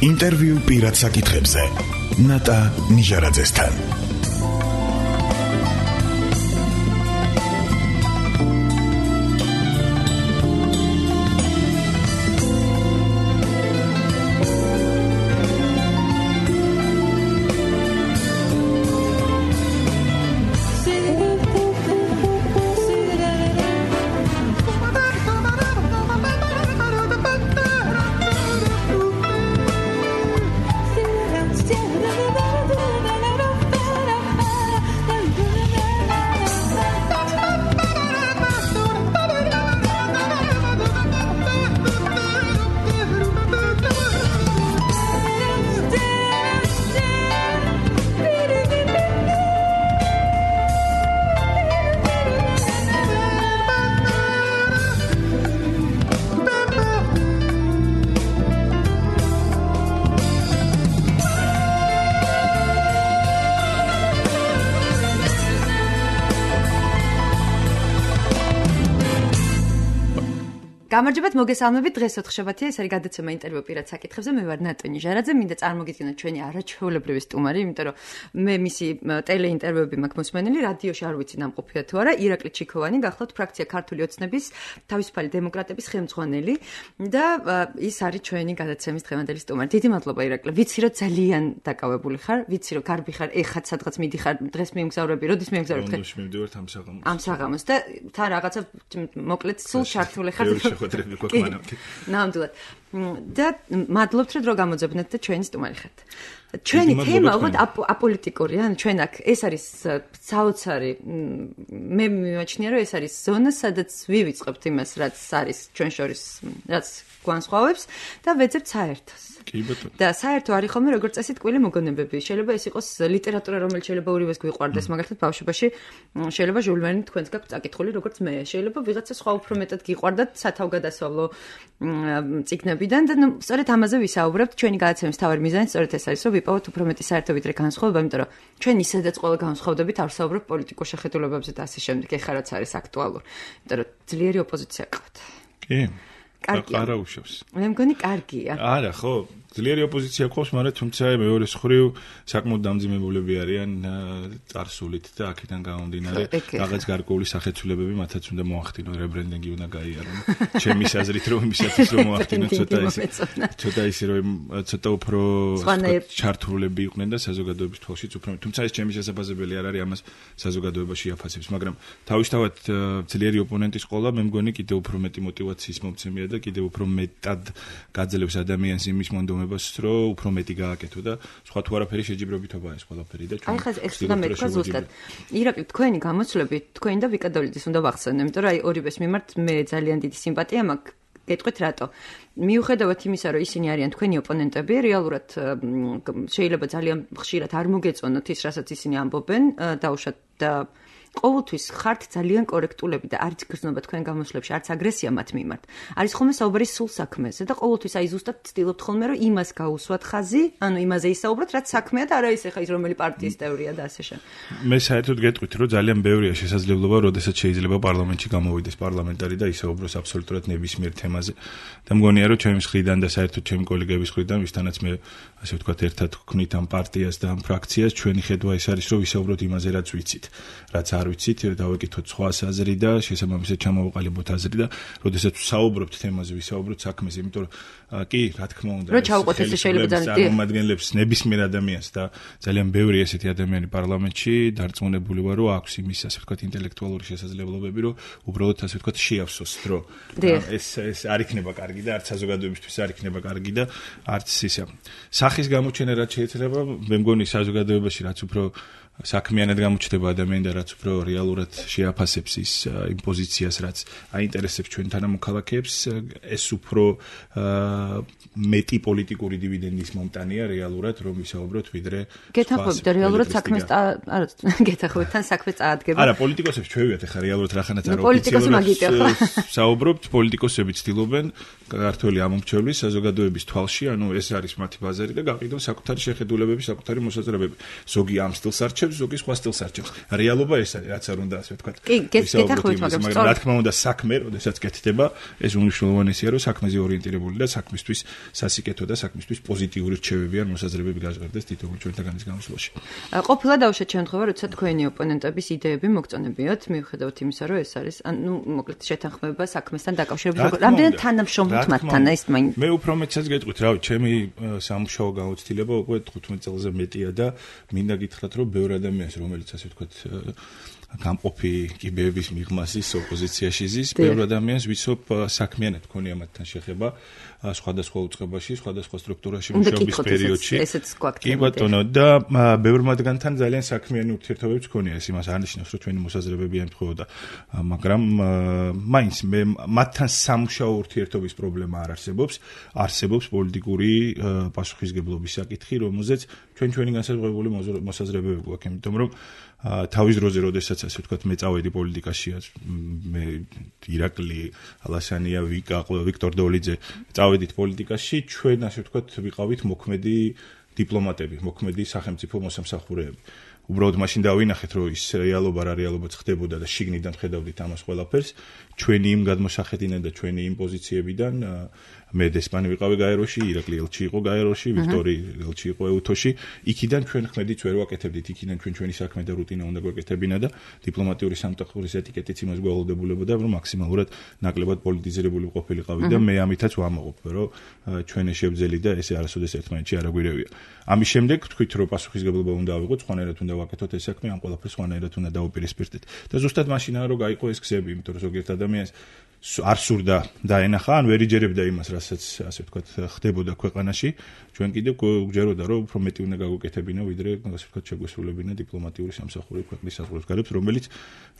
ინტერვიუ პირად საკითხებზე ნატა ნიჟარაძესთან. გამარჯობათ, მოგესალმებით. დღეს 4 შაბათია, ეს არის გადაცემა ინტერვიუ პირად საკითხებზე. მე ვარ ნატა ნიჟარაძე, მინდა წარმოგიდგინოთ ჩვენი არაჩვეულებრივი სტუმარი, იმიტომ რომ მე მისი ტელეინტერვიუები მაქვს მოსმენილი, რადიოში არ ვიცი ნამყოფია თუ არა. ირაკლი ჩიქოვანი, გახლავთ ფრაქცია ქართული ოცნების თავისუფალი დემოკრატების ხელმძღვანელი და ის არის ჩვენი გადაცემის დღევანდელი სტუმარი. დიდი მადლობა ირაკლი. ვიცი რომ ძალიან დაკავებული ხარ, ვიცი რომ გარბი ხარ, ეხაც სადღაც მიდიხარ, დღეს მიემგზავრები, როდის მიემგზავრებ? ლონდონში მივდივართ ამ საღამოს და თან რაღაცა მოკლედ სულ ჩართული ხარ. ნამდვილად. და მადლობთ, რომ დრო გამოძებნეთ და ჩვენი სტუმარი ხართ. ჩვენი თემა უბრალოდ აპოლიტიკურია, ან ჩვენ აქ ეს არის საოცარი, მე მიმაჩნია, რომ ეს არის ზონა, სადაც ვივიწყებთ იმას, რაც არის ჩვენ შორის, რაც განსხვავებს და ვეძებთ საერთოს. და საერთო არის ხოლმე როგორც წესი ტკბილი მოგონებები. შეიძლება ეს იყოს ლიტერატურა, რომელიც შეიძლება ორივეს გვიყვარდეს, მაგალითად ბავშვობაში შეიძლება ჟულ ვერნი თქვენს გაქვთ წაკითხული, როგორც მე. შეიძლება ვიღაცა სხვა უფრო მეტად გიყვარდათ სათავგადასავლო წიგნებიდან და სწორედ ამაზე ვისაუბრებთ. ჩვენი გადაცემის მთავარი მიზანი სწორედ ეს არის, რომ ვიპოვოთ უფრო მეტი საერთო ვიდრე განსხვავება, იმიტომ რომ ჩვენ ისედაც ყველა განსხვავდებით არ ვსაუბრობთ პოლიტიკურ შეხედულებებზე და ასე შემდეგ. ეხლა რაც არის აქტუალური. იმიტომ რომ ძლიერი ოპოზიცია გყავთ. კი. კარგია. არა უშავს. მე მგონი კარგია. არა, ხო. ძლიერი ოპოზიცია ყავს, მაგრამ თუმცა მეორე მხრივ საკმაოდ დამძიმებულები არიან წარსულით და აქედან გამომდინარე რაღაც გარკვეული სახეცვლებები მათაც უნდა მოახდინონ, რებრენდინგი უნდა გაიარონ. ჩემი აზრით რომ იმისათვის რომ მოახდინონ ცოტა ისე რომ ცოტა უფრო ჩართულები იყვნენ და საზოგადოების თვალშიც უფრო. თუმცა ეს ჩემი შესაძლებელი არ არის ამას საზოგადოებაში აფასებს, მაგრამ თავისთავად ძლიერი ოპონენტის ყოლა მე მგონი კიდევ უფრო მეტი мотиваციის მომცემია და კიდევ უფრო მეტად გაძლევს ადამიანს იმის მონდომებას, რომ უფრო მეტი გააკეთო და სხვა თუ არაფერი შეჯიბრებითობაა ეს ყველაფერი და ჩვენ. აი ხა ეს უნდა მეთქვა ზუსტად. ირაკლი, თქვენი გამოცვლები, თქვენი და ვიკადოლიძის უნდა ვახსენო, იმიტომ რომ აი ორივეს მიმართ მე ძალიან დიდი სიმპათია მაქვს. გეტყვით რატო? მიუხედავად იმისა, რომ ისინი არიან თქვენი ოპონენტები, რეალურად შეიძლება ძალიან ხშირად არ მოგეწონოთ ის, რასაც ისინი ამბობენ, დაუშვათ და ყოველთვის ხართ ძალიან კორექტულები და არც გრძნობა თქვენ გამოსვლებში, არც აგრესია მათ მიმართ. არის ხოლმე საუბარი სულ საქმეზე და ყოველთვის აი ზუსტად ცდილობთ ხოლმე რომ იმას გაუსვათ ხაზი, ანუ იმაზე ისაუბროთ, რაც საქმეა და არა ის ახლა ის რომელი პარტიის წევრია და ასე შემდეგ. მე საერთოდ გეტყვით, რომ ძალიან ბევრია შესაძლებლობა, როდესაც შეიძლება პარლამენტში გამოვიდეს პარლამენტარი და ისაუბროს აბსოლუტურად ნებისმიერ თემაზე. და მგონია, რომ ჩემი მხრიდან და საერთოდ ჩემი კოლეგების მხრიდან, ვისთანაც მე ასე ვთქვათ, ერთად ვქნით ამ პარტიას და ამ ფრაქციას, ჩვენი ხედვა ის არის, რომ ვისაუბროთ იმაზე, რაც ვიცით, რაც არ ვიცით, დავეკითხოთ სხვა აზრი და შესაბამისად ჩამოვაყალიბოთ აზრი და როდესაც ვსაუბრობთ თემაზე, ვისაუბროთ საქმეზე, იმიტომ რომ კი, რა თქმა უნდა, რომ ჩავყოთ ეს შეიძლება წარმომადგენლებს ნებისმიერ ადამიანს და ძალიან ბევრი ესეთი ადამიანი პარლამენტში დარწმუნებული ვარ, რომ აქვს იმის ასე ვთქვათ ინტელექტუალური შესაძლებლობები, რომ უბრალოდ ასე ვთქვათ შეავსოს დრო. ეს არ იქნება კარგი და არც საზოგადოებისთვის არ იქნება კარგი და არც ისა. სახის გამოჩენა რაც შეიძლება, მე მგონი საზოგადოებაში რაც უფრო საქმიანად გამოჩნდება ადამიანი და რაც უფრო რეალურად შეაფასებს ის იმ პოზიციას, რაც აინტერესებს ჩვენ თანამოქალაქეებს, ეს უფრო მეტი პოლიტიკური დივიდენდის მომტანია რეალურად, რომ ვისაუბროთ ვიდრე გეთანხმებით რეალურად საქმეს არა გეთანხმებით თან საქმე წაადგება. არა, პოლიტიკოსებს ჩვევიათ ახლა რეალურად რახანაც არ ოფიციალურად საუბრობთ, პოლიტიკოსები ცდილობენ ქართველი ამომრჩევლის საზოგადოების თვალში, ანუ ეს არის მათი ბაზარი და გაყიდონ საკუთარი შეხედულებები, საკუთარი მოსაზრებები. ზოგი ამ სტილს არჩევს, ზოგი სხვა სტილს არჩევს. რეალობა ეს არის, რაც არ უნდა ასე ვთქვათ. კი, გეთახმებით, მაგრამ რა თქმა უნდა, საქმე, როდესაც კეთდება, ეს უმნიშვნელოვანესია, რომ საქმეზე ორიენტირებული და საქმისთვის სასიკეთო და საქმისთვის პოზიტიური რჩევები ან მოსაზრებები გაჟღერდეს თითოეულ ჩვენთაგანის გამოსვლაში. ყოფილა დავუშვათ შემთხვევა, როცა თქვენი ოპონენტების იდეები მოგწონებიათ, მიუხედავად იმისა, რომ ეს არის, მოკლედ შეთანხმება საქმესთან დაკავშირებით, რამდენად თანამშრომლობთ მათთან, ეს მაინც. მე უფრო მეტსაც გეტყვით, რავი, ჩემი სამუშაო გამოცდილება უკვე 15 წელზე მეტია და მინდა გითხრათ, რომ ბევრ ადამიანს, რომელიც ასე ვთქვათ, გამყოფი კიბეების მიღმასის ოპოზიციაში ზის, ბევრ ადამიანს ვიცნობ საქმიანად ქონია მათთან შეხება სხვადასხვა უწყებაში, სხვადასხვა სტრუქტურაში მუშაობის პერიოდში. კი ბატონო, და ბევრ მათგანთან ძალიან საქმიანი ურთიერთობებიც ქონია, ეს იმას არ ნიშნავს, რომ ჩვენი მოსაზრებები ემთხვეოდა, მაგრამ მაინც მე მათთან სამუშაო ურთიერთობის პრობლემა არ არსებობს, არსებობს პოლიტიკური პასუხისგებლობის საკითხი, რომელზეც ჩვენი განსაზღვრებული მოსაზრებები გვაქვს, იმიტომ რომ თავის დროზე, როდესაც ასე ვთქვათ, მე წავედი პოლიტიკაში, მე ირაკლი ალასანია, ვიქტორ დოლიძე წავედით პოლიტიკაში, ჩვენ ასე ვთქვათ, ვიყავით მოქმედი დიპლომატები, მოქმედი სახელმწიფო მოსამსახურეები. უბრალოდ მაშინ დავინახეთ, რომ ის რეალობა რა რეალობაც ხდებოდა და შიგნიდან ხედავდით ამას ყველაფერს, ჩვენი იმ გადმოსახედიდან და ჩვენი იმ პოზიციებიდან მე დესპანი ვიყავი გაეროში, ირაკლი ელჩი იყო გაეროში, ვიქტორი ელჩი იყო ეუთოში. იქიდან ჩვენ ხმედით ვერ ვაკეთებდით, იქიდან ჩვენი საქმე და რუტინა უნდა გვეკეთებინა და დიპლომატიური სამსახურის ეტიკეტიც იმას გვავალდებულებოდა, რომ მაქსიმალურად ნაკლებად პოლიტიზირებული ყოფილიყავი და მე ამითაც ვამოღობ, რომ ჩვენ შევძელი და ესე არასოდეს ერთმანეთში არ აგვირევია. ამის შემდეგ თქვით, რომ პასუხისგებლობა უნდა ავიღოთ, სხვანაირად უნდა ვაკეთოთ ეს საქმე, ამ ყველაფერს სხვანაირად უნდა დავუპირისპირდეთ. და ზუსტად მაშინაა რომ გაიყო ეს გზები, იმიტომ რომ ზოგიერთ ადამიანს არ სურდა დაენახა, ან ვერ იჯერებდა იმას, რასაც ასე ვთქვათ, ხდებოდა ქვეყანაში. ჩვენ კიდევ გვჯეროდა, რომ უფრო მეტი უნდა გაგვეკეთებინა, ვიდრე ასე ვთქვათ, შეგვესრულებინა დიპლომატიური სამსახური ქვეყნის საზღვრებს,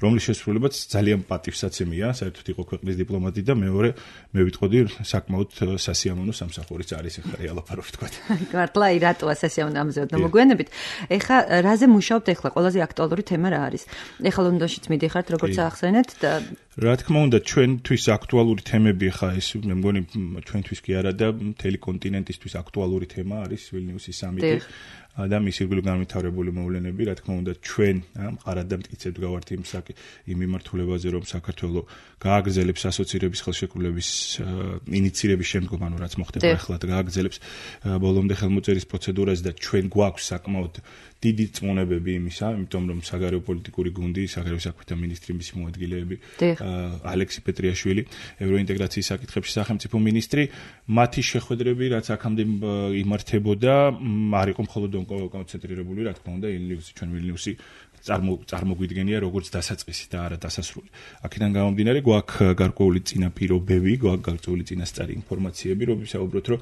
რომლის შესრულებაც ძალიან პატივსაცემია, საერთოდ იყო ქვეყნის დიპლომატი და მეორე, მე ვიტყოდი, საკმაოდ სასიამოვნო სამსახურიც არის ახლა რეალობა, რო ვთქვათ. მართლა რატოა სასიამოვნო ამზეოდ მოგვიანებით. ეხლა რაზე მუშაობთ ახლა? ყველაზე აქტუალური თემა რა არის? ახლა ლონდონშიც მიდიხართ, როგორც ახსენეთ და რა თქმა უნდა, ჩვენთვის აქტუალური თემები ხა ეს მე მგონი ჩვენთვის კი არა და მთელი კონტინენტისთვის აქტუალური თემა არის ვილნიუსის სამიტი და მის ირგვლივ განვითარებული მოვლენები. რა თქმა უნდა, ჩვენ მყარად და მტკიცებთ გავართ იმ მიმართულებაზე, რომ საქართველოს გააგრძელებს ასოცირების ხელშეკრულების ინიციირების შემდგომ, ანუ რაც მოხდება ახლა და გააგრძელებს ბოლომდე ხელმოწერის პროცედურას და ჩვენ გვაქვს საკმაოდ დიდი წმონებები იმისა, იმიტომ რომ საგარეო პოლიტიკური გუნდი, საგარეო საქმეთა მინისტრი, მისი მოადგილეები, ალექსი პეტრიაშვილი, ევროინტეგრაციის საკითხებში სახელმწიფო მინისტრი, მათი შეხვედრები, რაც აქამდე იმართებოდა, არ იყო მხოლოდ კონცენტრირებული, რა თქმა უნდა, ჩვენ ვილნიუსი წარმოგვიდგენია როგორც დასაწყისი და არა დასასრული. აქედან გამომდინარე, გვაქვს გარკვეული წინაპირობები, გვაქვს გარკვეული წინასწარი ინფორმაციები, რომ ვისაუბროთ, რომ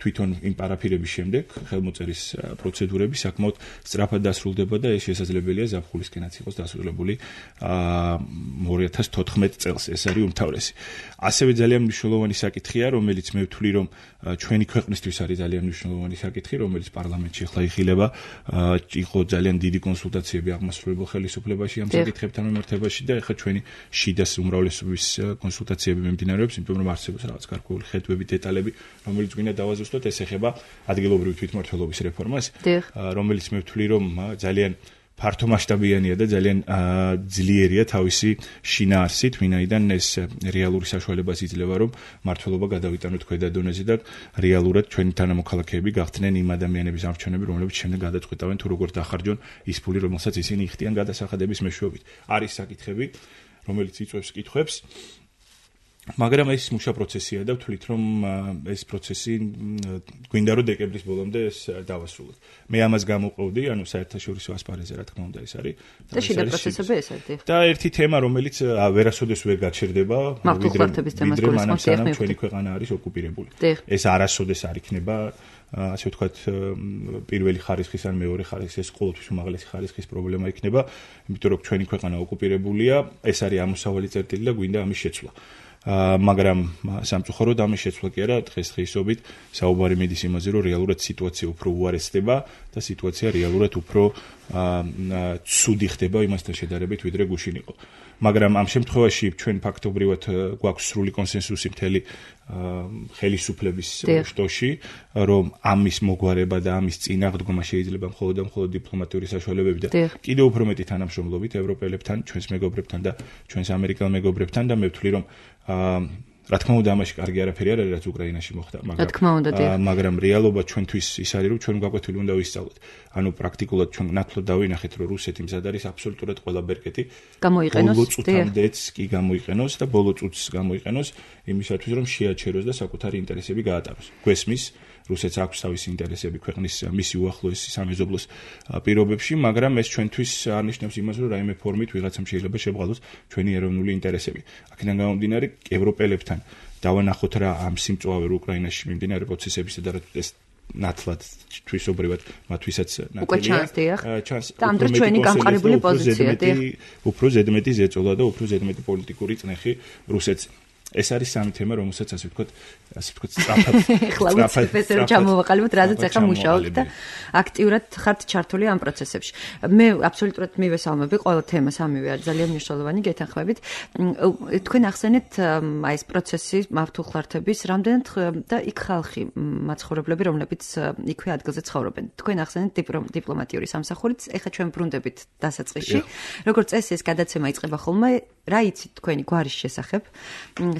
თვითონ იმ პარაფირების შემდეგ ხელმოწერის პროცედურები საკმაოდ სწრაფად დასრულდება და ეს შესაძლებელია ზაფხულისკენაც იყოს დასრულებული 2014 წელს. ეს არის უმთავრესი. ასევე ძალიან მნიშვნელოვანი საკითხია, რომელიც მე ვთვლი, რომ ჩვენი ქვეყნისთვის არის ძალიან მნიშვნელოვანი საკითხი, რომელიც პარლამენტში ახლა იხილება, იყო ძალიან დიდი კონსულტაციები აღმასრულებელ ხელისუფლებაში ამ საკითხებთან მიმართებაში და ახლა ჩვენი შიდას უმრავლესობის კონსულტაციები მიმდინარეობს, იმიტომ რომ არსებობს რაღაც გარკვეული ხედვები, დეტალები, რომელიც გვინდა დავაზუსტოთ. ეს ეხება ადგილობრივი თვითმმართველობის რეფორმას, რომელიც მე ვთვლი, რომ ძალიან ფართომასშტაბიანია და ძალიან ძლიერია თავისი შინაარსით, ვინაიდან ეს რეალური საშუალებას იძლევა, რომ მმართველობა გადავიტანოთ ქვედა დონეზე და რეალურად ჩვენი თანამოქალაქეები გახდნენ იმ ადამიანების არჩევნები, რომლებიც შემდეგ გადაწყვეტავენ თუ როგორ დახარჯონ ის ფული, რომელსაც ისინი იხდიან გადასახადების მეშვეობით. არის საკითხები, რომელიც იწვევს კითხვებს. მაგრამ ეს მუშა პროცესია და ვთვლით, რომ ეს პროცესი გვინდა რომ დეკემბრის ბოლომდე ეს დავასრულოთ. მე ამას გამოვყევდი, ანუ საერთაშორისო ასპარეზზე, რა თქმა უნდა, ეს არის. და შიდა პროცესები ეს არის. და ერთი თემა, რომელიც ვერასოდეს ვერ გაჩერდება, ვიდრე მანამ სანამ ჩვენი ქვეყანა არის ოკუპირებული. ეს არასოდეს არ იქნება ასე ვთქვათ, პირველი ხარისხის ან მეორე ხარისხის, ეს ყოველთვის უმაღლესი ხარისხის პრობლემა იქნება, იმიტომ რომ ჩვენი ქვეყანა ოკუპირებულია, ეს არის ამოსავალი წერტილი და გვინდა ამის შეცვლა. მაგრამ სამწუხაროდ ამის შეცვლა კი არა, დღესდღეობით საუბარი მიდის იმაზე, რომ რეალურად სიტუაცია უფრო უარესდება და სიტუაცია რეალურად უფრო ცუდი ხდება იმასთან შედარებით, ვიდრე გუშინ იყო. მაგრამ ამ შემთხვევაში ჩვენ ფაქტობრივად გვაქვს სრული კონსენსუსი მთელი ხელისუფლების შტოში, რომ ამის მოგვარება და ამის წინააღმდგომა შეიძლება მხოლოდ და მხოლოდ დიპლომატიური საშუალებებით და კიდევ უფრო მეტი თანამშრომლობით ევროპელებთან, ჩვენს მეგობრებთან და ჩვენს ამერიკელ მეგობრებთან და მე ვთვლი, რომ რა თქმა უნდა ამაში კარგი არაფერი არ არის, რაც უკრაინაში მოხდა, მაგრამ რეალობა ჩვენთვის ის არის, რომ ჩვენ გაკვეთილი უნდა ვისწავლოთ. ანუ პრაქტიკულად ჩვენ ნათლად დავინახეთ, რომ რუსეთი მზად არის აბსოლუტურად ყველა ბერკეტი გამოიყენოს, ბოლო წუთამდეც კი გამოიყენოს და ბოლო წუთს გამოიყენოს იმისათვის, რომ შეაჩეროს და საკუთარი ინტერესები გაატაროს. გვესმის რუსეთს აქვს თავისი ინტერესები ქვეყნის მისი უახლოესი სამეზობლოს პირობებში, მაგრამ ეს ჩვენთვის არნიშნავს იმას, რომ რაიმე ფორმით ვიღაცამ შეიძლება შევღალოს ჩვენი ეროვნული ინტერესები. აქედან გამომდინარე, ევროპელებთან დავანახოთ რა ამ სიმწვავე უკრაინაში მიმდინარე პროცესებისა და ეს ნათლად თვისობრივად მათთვისაც ნათლია. და ამ დროს ჩვენი გამყარებული პოზიციაა. უფრო ზედმეტი ზეწოლა და უფრო ზედმეტი პოლიტიკური წნეხი რუსეთს. ეს არის სამი თემა, რომელსაც ასე ვთქვათ, სწრაფად პროფესორი ჩამოვაყალიბოთ, რაზეც ახლა მუშაობთ და აქტიურად ხართ ჩართული ამ პროცესებში. მე აბსოლუტურად მივესალმები ყველა თემა სამივე არის ძალიან მნიშვნელოვანი გეთანხმებით. თქვენ ახსენეთ აი ეს პროცესი მართულხლართების რამდენად და იქ ხალხი მაცხოვრებლები, რომლებიც იქვე ადგილზე ცხოვრობენ. თქვენ ახსენეთ დიპლომატიური სამსახურით, ეხლა ჩვენ ბრუნდებით დასაწყისში. როგორც წესი ეს გადაცემა იწყება ხოლმე, რა იცით თქვენი გვარის შესახებ?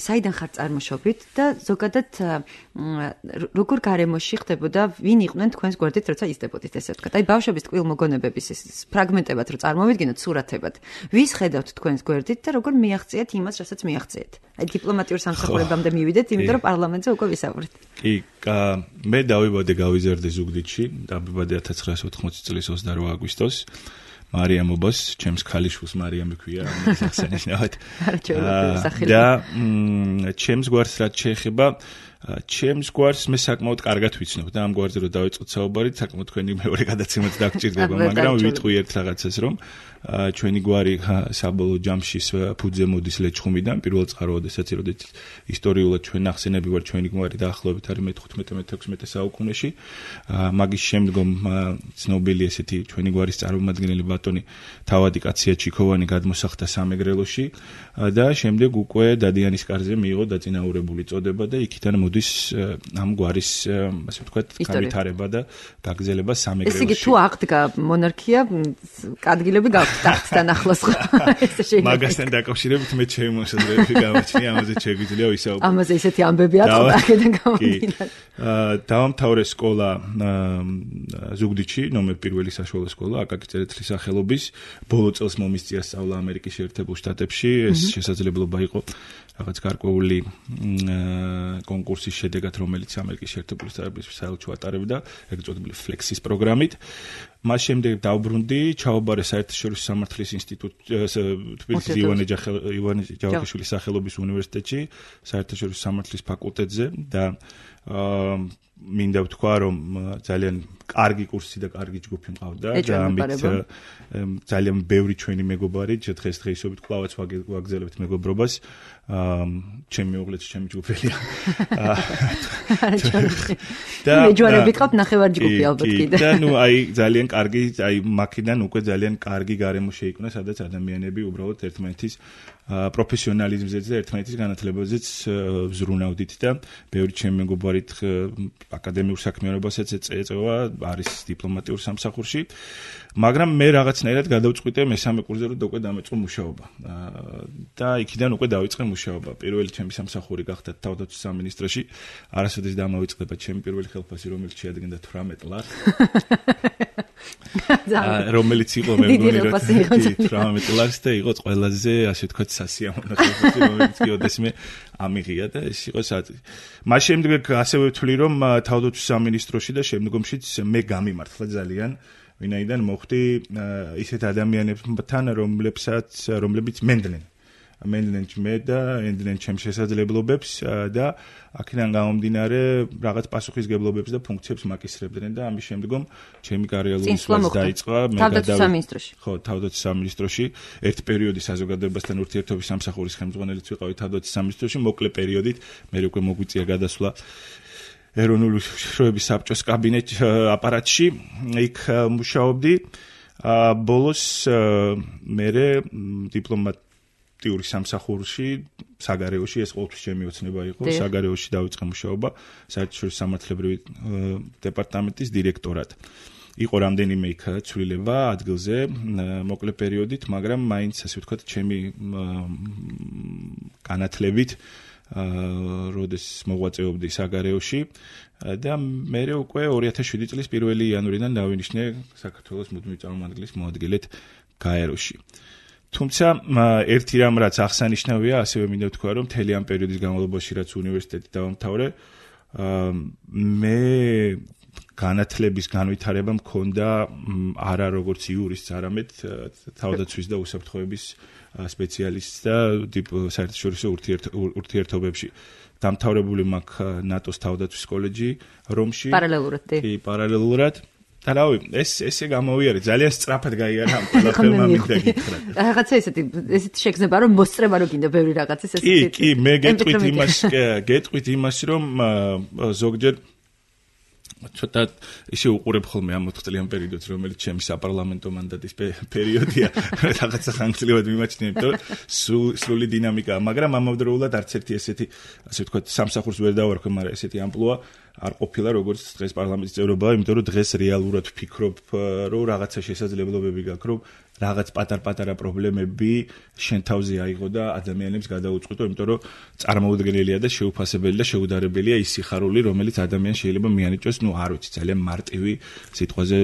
საიდან ხარ წარმოშობით და ზოგადად როგორ გარემოში ხდებოდა, ვინ იყვნენ თქვენს გვერდით, როცა იზრდებოდით, ესე ვთქვათ. აი ბავშვების ტკბილ მოგონებების ეს ფრაგმენტებად რო წარმოვიდგინოთ სურათებად. ვის ხედავთ თქვენს გვერდით და როგორ მიაღწიეთ იმას, რასაც მიაღწიეთ? აი დიპლომატიურ სამსახურებამდე მივიდეთ, იმიტომ რომ პარლამენტზე უკვე ვისაუბრეთ. კი, მე დავიბადე გავიზარდე ზუგდიდში, დავიბადე 1980 წლის 28 აგვისტოს. მარიამ ობას, ჩემს ქალიშვილს მარიამ ქვია, აღსანიშნავად. და ჩემს გვარს რაც შეეხება, ჩემს გვარს მე საკმაოდ კარგად ვიცნობ და ამ გვარზე რო დავიწყოთ საუბარი, საკმაოდ თქვენი მეორე გადაცემაც დაგჭირდება, მაგრამ ვიტყვი ერთ რაღაცას, რომ ჩვენი გვარი საბოლოო ჯამში ფუძე მოდის ლეჩხუმიდან, პირველ წყაროოდესაც როდესაც ისტორიულად ჩვენ ახსენები ვარ ჩვენი გვარი დაახლოებით არის მე-15-16 საუკუნეში. მაგის შემდგომ ცნობილი ესეთი ჩვენი გვარის წარმომადგენელი ბატონი თავადი კაცია ჩიქოვანი გადმოსახდა სამეგრელოში და შემდეგ უკვე დადიანის კარზე მიიღო დაწინაურებული წოდება და იქიდან მოდის ამ გვარის ასე ვთქვათ განვითარება და გაგრძელება სამეგრელოში. ესე იგი თუ აღდგა მონარქია, ადგილები ტახტთან ახლოს ხო? მაგასთან დაკავშირებით მე ჩემი მოსაზრებები გამაჩნია, ამაზე შეგვიძლია ვისაუბროთ. ამაზე ისეთი ამბები აქვს აქედან გამომდინარე. დავამთავრე სკოლა ზუგდიდში, ნომერ 1 საშუალო სკოლა, აკაკი წერეთლის სახელობის. ბოლო წელს მომისწია სწავლა ამერიკის შეერთებულ შტატებში. ეს შესაძლებლობა იყო რაღაც გარკვეული კონკურსის შედეგად, რომელიც ამერიკის შეერთებული შტატების საელჩო ატარებდა, ეგრეთ წოდებული ფლექსის პროგრამით. მას შემდეგ დავბრუნდი, ჩაობარე საერთაშორისო სამართლის ინსტიტუტში, თბილისის ივანე ჯავახიშვილის სახელობის უნივერსიტეტში, საერთაშორისო სამართლის ფაკულტეტზე და მინდა ვთქვა, რომ ძალიან კარგი კურსი და კარგი ჯგუფი მყავდა და ამით ძალიან ბევრი ჩვენი მეგობარი დღესდღეობით კვლავაც ვაგრძელებთ მეგობრობას. ჩემი მეუღლეც ჩემი ჯგუფელია. და მეჯვარებით ყავთ ნახევარ ჯგუფი ალბათ კიდე. და ნუ აი ძალიან კარგი, აი მაქედან უკვე ძალიან კარგი გარემო შეიქმნა, სადაც ადამიანები უბრალოდ ერთმანეთის პროფესიონალიზმზეც და ერთმანეთის განათლებაზეც ვზრუნავდით და ბევრი ჩემი მეგობარი აკადემიურ საქმიანობასაც ეწევა, არის დიპლომატიურ სამსახურში. მაგრამ მე რაღაცნაირად გადავწყვიტე მესამე კურსზე, რომ უკვე დამეწყო მუშაობა. და იქიდან უკვე დავიწყე მუშაობა. პირველი ჩემი სამსახური გახდა თავდაცვის სამინისტროში. არასოდეს დამავიწყდება ჩემი პირველი ხელფასი, რომელიც შეადგენდა 18 ლარს. რომელიც იყო მე მგონი რომ 18 ლარს და იყო ყველაზე ასე ვთქვათ სასიამოვნო ხელფასი, რომელიც კი ოდესმე ამიღია და ეს იყო საწყი. მას შემდეგ ასევე ვთვლი, რომ თავდაცვის სამინისტროში და შემდგომშიც მე გამიმართლა ძალიან, ვინაიდან მოხდი ისეთ ადამიანებთან, რომლებიც მენდლენ მე და ენდლენ ჩემს შესაძლებლობებს და აქედან გამომდინარე რაღაც პასუხისგებლობებს და ფუნქციებს მაკისრებდნენ და ამის შემდგომ ჩემი კარიერული სვლაც დაიწყო მე თავდაცვის სამინისტროში. ხო, თავდაცვის სამინისტროში ერთ პერიოდი საზოგადოებასთან ურთიერთობის სამსახურის ხელმძღვანელიც ვიყავი თავდაცვის სამინისტროში, მოკლე პერიოდით მე უკვე მოგვიწია გადასვლა ეროვნული უშიშროების საბჭოს კაბინეტ აპარატში, იქ მუშაობდი. ბოლოს მე დიპლომატიური სამსახურში საგარეოში ეს ყოველთვის ჩემი ოცნება იყო საგარეოში დავიწყე მუშაობა საერთაშორისო სამართლებრივი დეპარტამენტის დირექტორად იყო რამდენიმე იქ ცვლილება ადგილზე მოკლე პერიოდით მაგრამ მაინც ასე ვთქვათ ჩემი განათლებით როდეს მოღვაწეობდი საგარეოში და მე უკვე 2007 წლის 1 იანვრიდან დავინიშნე საქართველოს მუდმივი წარმომადგენლის მოადგილედ გაეროში. თუმცა ერთი რამ რაც აღსანიშნავია, ასევე მინდა ვთქვა, რომ მთელი ამ პერიოდის განმავლობაში რაც უნივერსიტეტი დავამთავრე, მე განათლების განვითარება მქონდა არა როგორც იურისტს, არამედ თავდაცვის და უსაფრთხოების სპეციალისტს და საერთაშორისო ურთიერთობებში. დამთავრებული მაქვს ნატოს თავდაცვის კოლეჯი რომში. პარალელურად. კი, პარალელურად. და რავი, ესე გამოვიარე, ძალიან სწრაფად გაიარა ამ ყველაფერმა მინდა გითხრათ. რაღაცა ესეთი შეგრძნება რომ მოსწრება რო გინდა ბევრი რაღაცის ესეთი. კი, მე გეტყვით იმას, რომ ზოგჯერ ცოტა ისე უყურებ ხოლმე ამ 4 წლიან პერიოდს, რომელიც ჩემი საპარლამენტო მანდატის პერიოდია, რაღაცა ხანგრძლივად მიმაჩნია, იმიტომ რომ სრული დინამიკაა, მაგრამ ამავდროულად არც ერთი ესეთი, ასე ვთქვათ, სამსახურს ვერ დავარქვე, მაგრამ ესეთი ამპლუა არ ყოფილა როგორც დღეს პარლამენტის წევრობა, იმიტომ რომ დღეს რეალურად ვფიქრობ, რომ რაღაცა შესაძლებლობები გაქვს, რომ რაღაც პატარ-პატარა პრობლემები შენ თავზე აიღო და ადამიანებს გადაუწყვეტო, იმიტომ რომ წარმოუდგენელია და შეუფასებელი და შეუდარებელია ის სიხარული, რომელიც ადამიანს შეიძლება მიანიჭოს, არ ვიცი, ძალიან მარტივი სიტყვაზე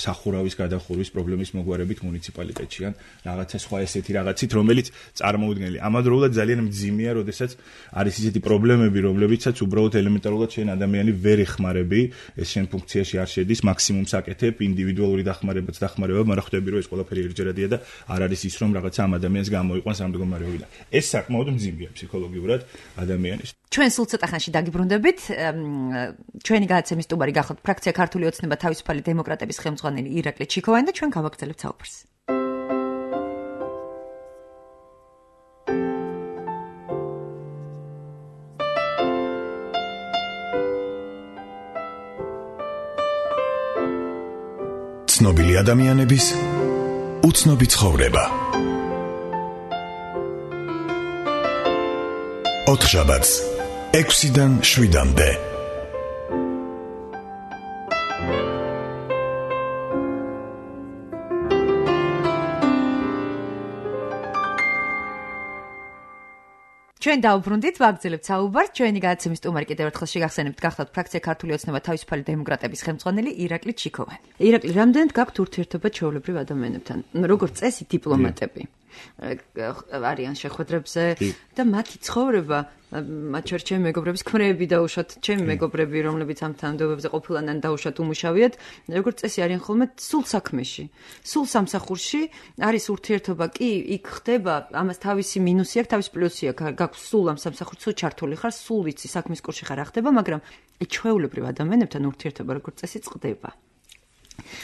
სახურავის გადახურვის პრობლემის მოგვარებით მუნიციპალიტეტში ან რაღაცა სხვა ესეთი რაღაცით, რომელიც წარმოუდგენელია. ამავდროულად ძალიან მძიმეა, როდესაც არის ისეთი პრობლემები, რომლებიცაც უბრალოდ ელემენტარულად შენ ადამიანი ვერ ეხმარები, ეს შენ ფუნქციაში არ შედის, მაქსიმუმს აკეთებ, ინდივიდუალური დახმარებაც დახმარება, მაგრამ ხვდები რომ ეს ყველაფერი ერთჯერადია და არ არის ის რომ რაღაცა ამ ადამიანს გამოიყვანს ამ მდგომარეობიდან. ეს საკმაოდ მძიმეა ფსიქოლოგიურად ადამიანის. ჩვენ სულ ცოტა ხანში დაგიბრუნდებით. ჩვენი გადაცემის სტუმარი გახოთ ფრაქცია ქართული ოცნება თავისუფალი დემოკრატების ხელმძღვანელი ირაკლი ჩიქოვანი და ჩვენ გავაგრძელებთ საუბარს. ცნობილი ადამიანების უცნობი ცხოვრება. ოთხშაბათს 6-დან 7-მდე. ჩვენ დავბრუნდით, ვაგრძელებთ საუბარს. ჩვენი გადაცემის სტუმარი კიდევ ერთხელ შეგახსენებთ, გახლავთ ფრაქცია ქართული ოცნება თავისუფალი დემოკრატების ხელმძღვანელი ირაკლი ჩიქოვანი. ირაკლი, რამდენად გაქვთ ურთიერთობა ჩვეულებრივ ადამიანებთან? როგორც წესი დიპლომატები არიან შეხვედრებზე და მათი ცხოვრება, მათ შორის ჩემი მეგობრების ქმრები დაუშვათ, ჩემი მეგობრები, რომლებიც ამ თანამდებობებზე ყოფილან ან დაუშვათ უმუშავიათ, როგორც წესი არიან ხოლმე სულ საქმეში, სულ სამსახურში არის ურთიერთობა, კი, იქ ხდება, ამას თავისი მინუსი აქვს, თავისი პლუსი აქვს, გაქვს სულ ამ სამსახურში, სულ ჩართული ხარ, სულ ვიცი საქმის კურსში ხარ ახდება, მაგრამ ჩვეულებრივ ადამიანებთან ურთიერთობა როგორც წესი წყდება.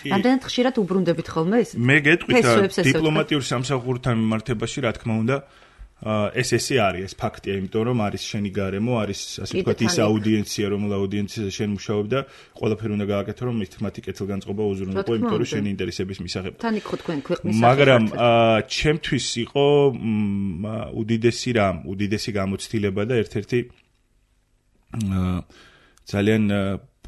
რამდენად ხშირად უბრუნდებით ხოლმე ეს? მე გეტყვით დიპლომატიურ სამსახურთან მიმართებაში, რა თქმა უნდა, ესე არის, ეს ფაქტია, იმიტომ რომ არის შენი გარემო, არის ასე ვთქვათ ის აუდიენცია, რომელ აუდიენციაზე შენ მუშაობ და ყველაფერი უნდა გააკეთო, რომ მითმათი კეთილგანწყობა უზრუნველყო, იმიტომ რომ შენი ინტერესების მისაღებ. თან იქ ხო თქვენ ქვეყნის მაგრამ ჩემთვის იყო უდიდესი გამოცდილება და ერთ-ერთი ძალიან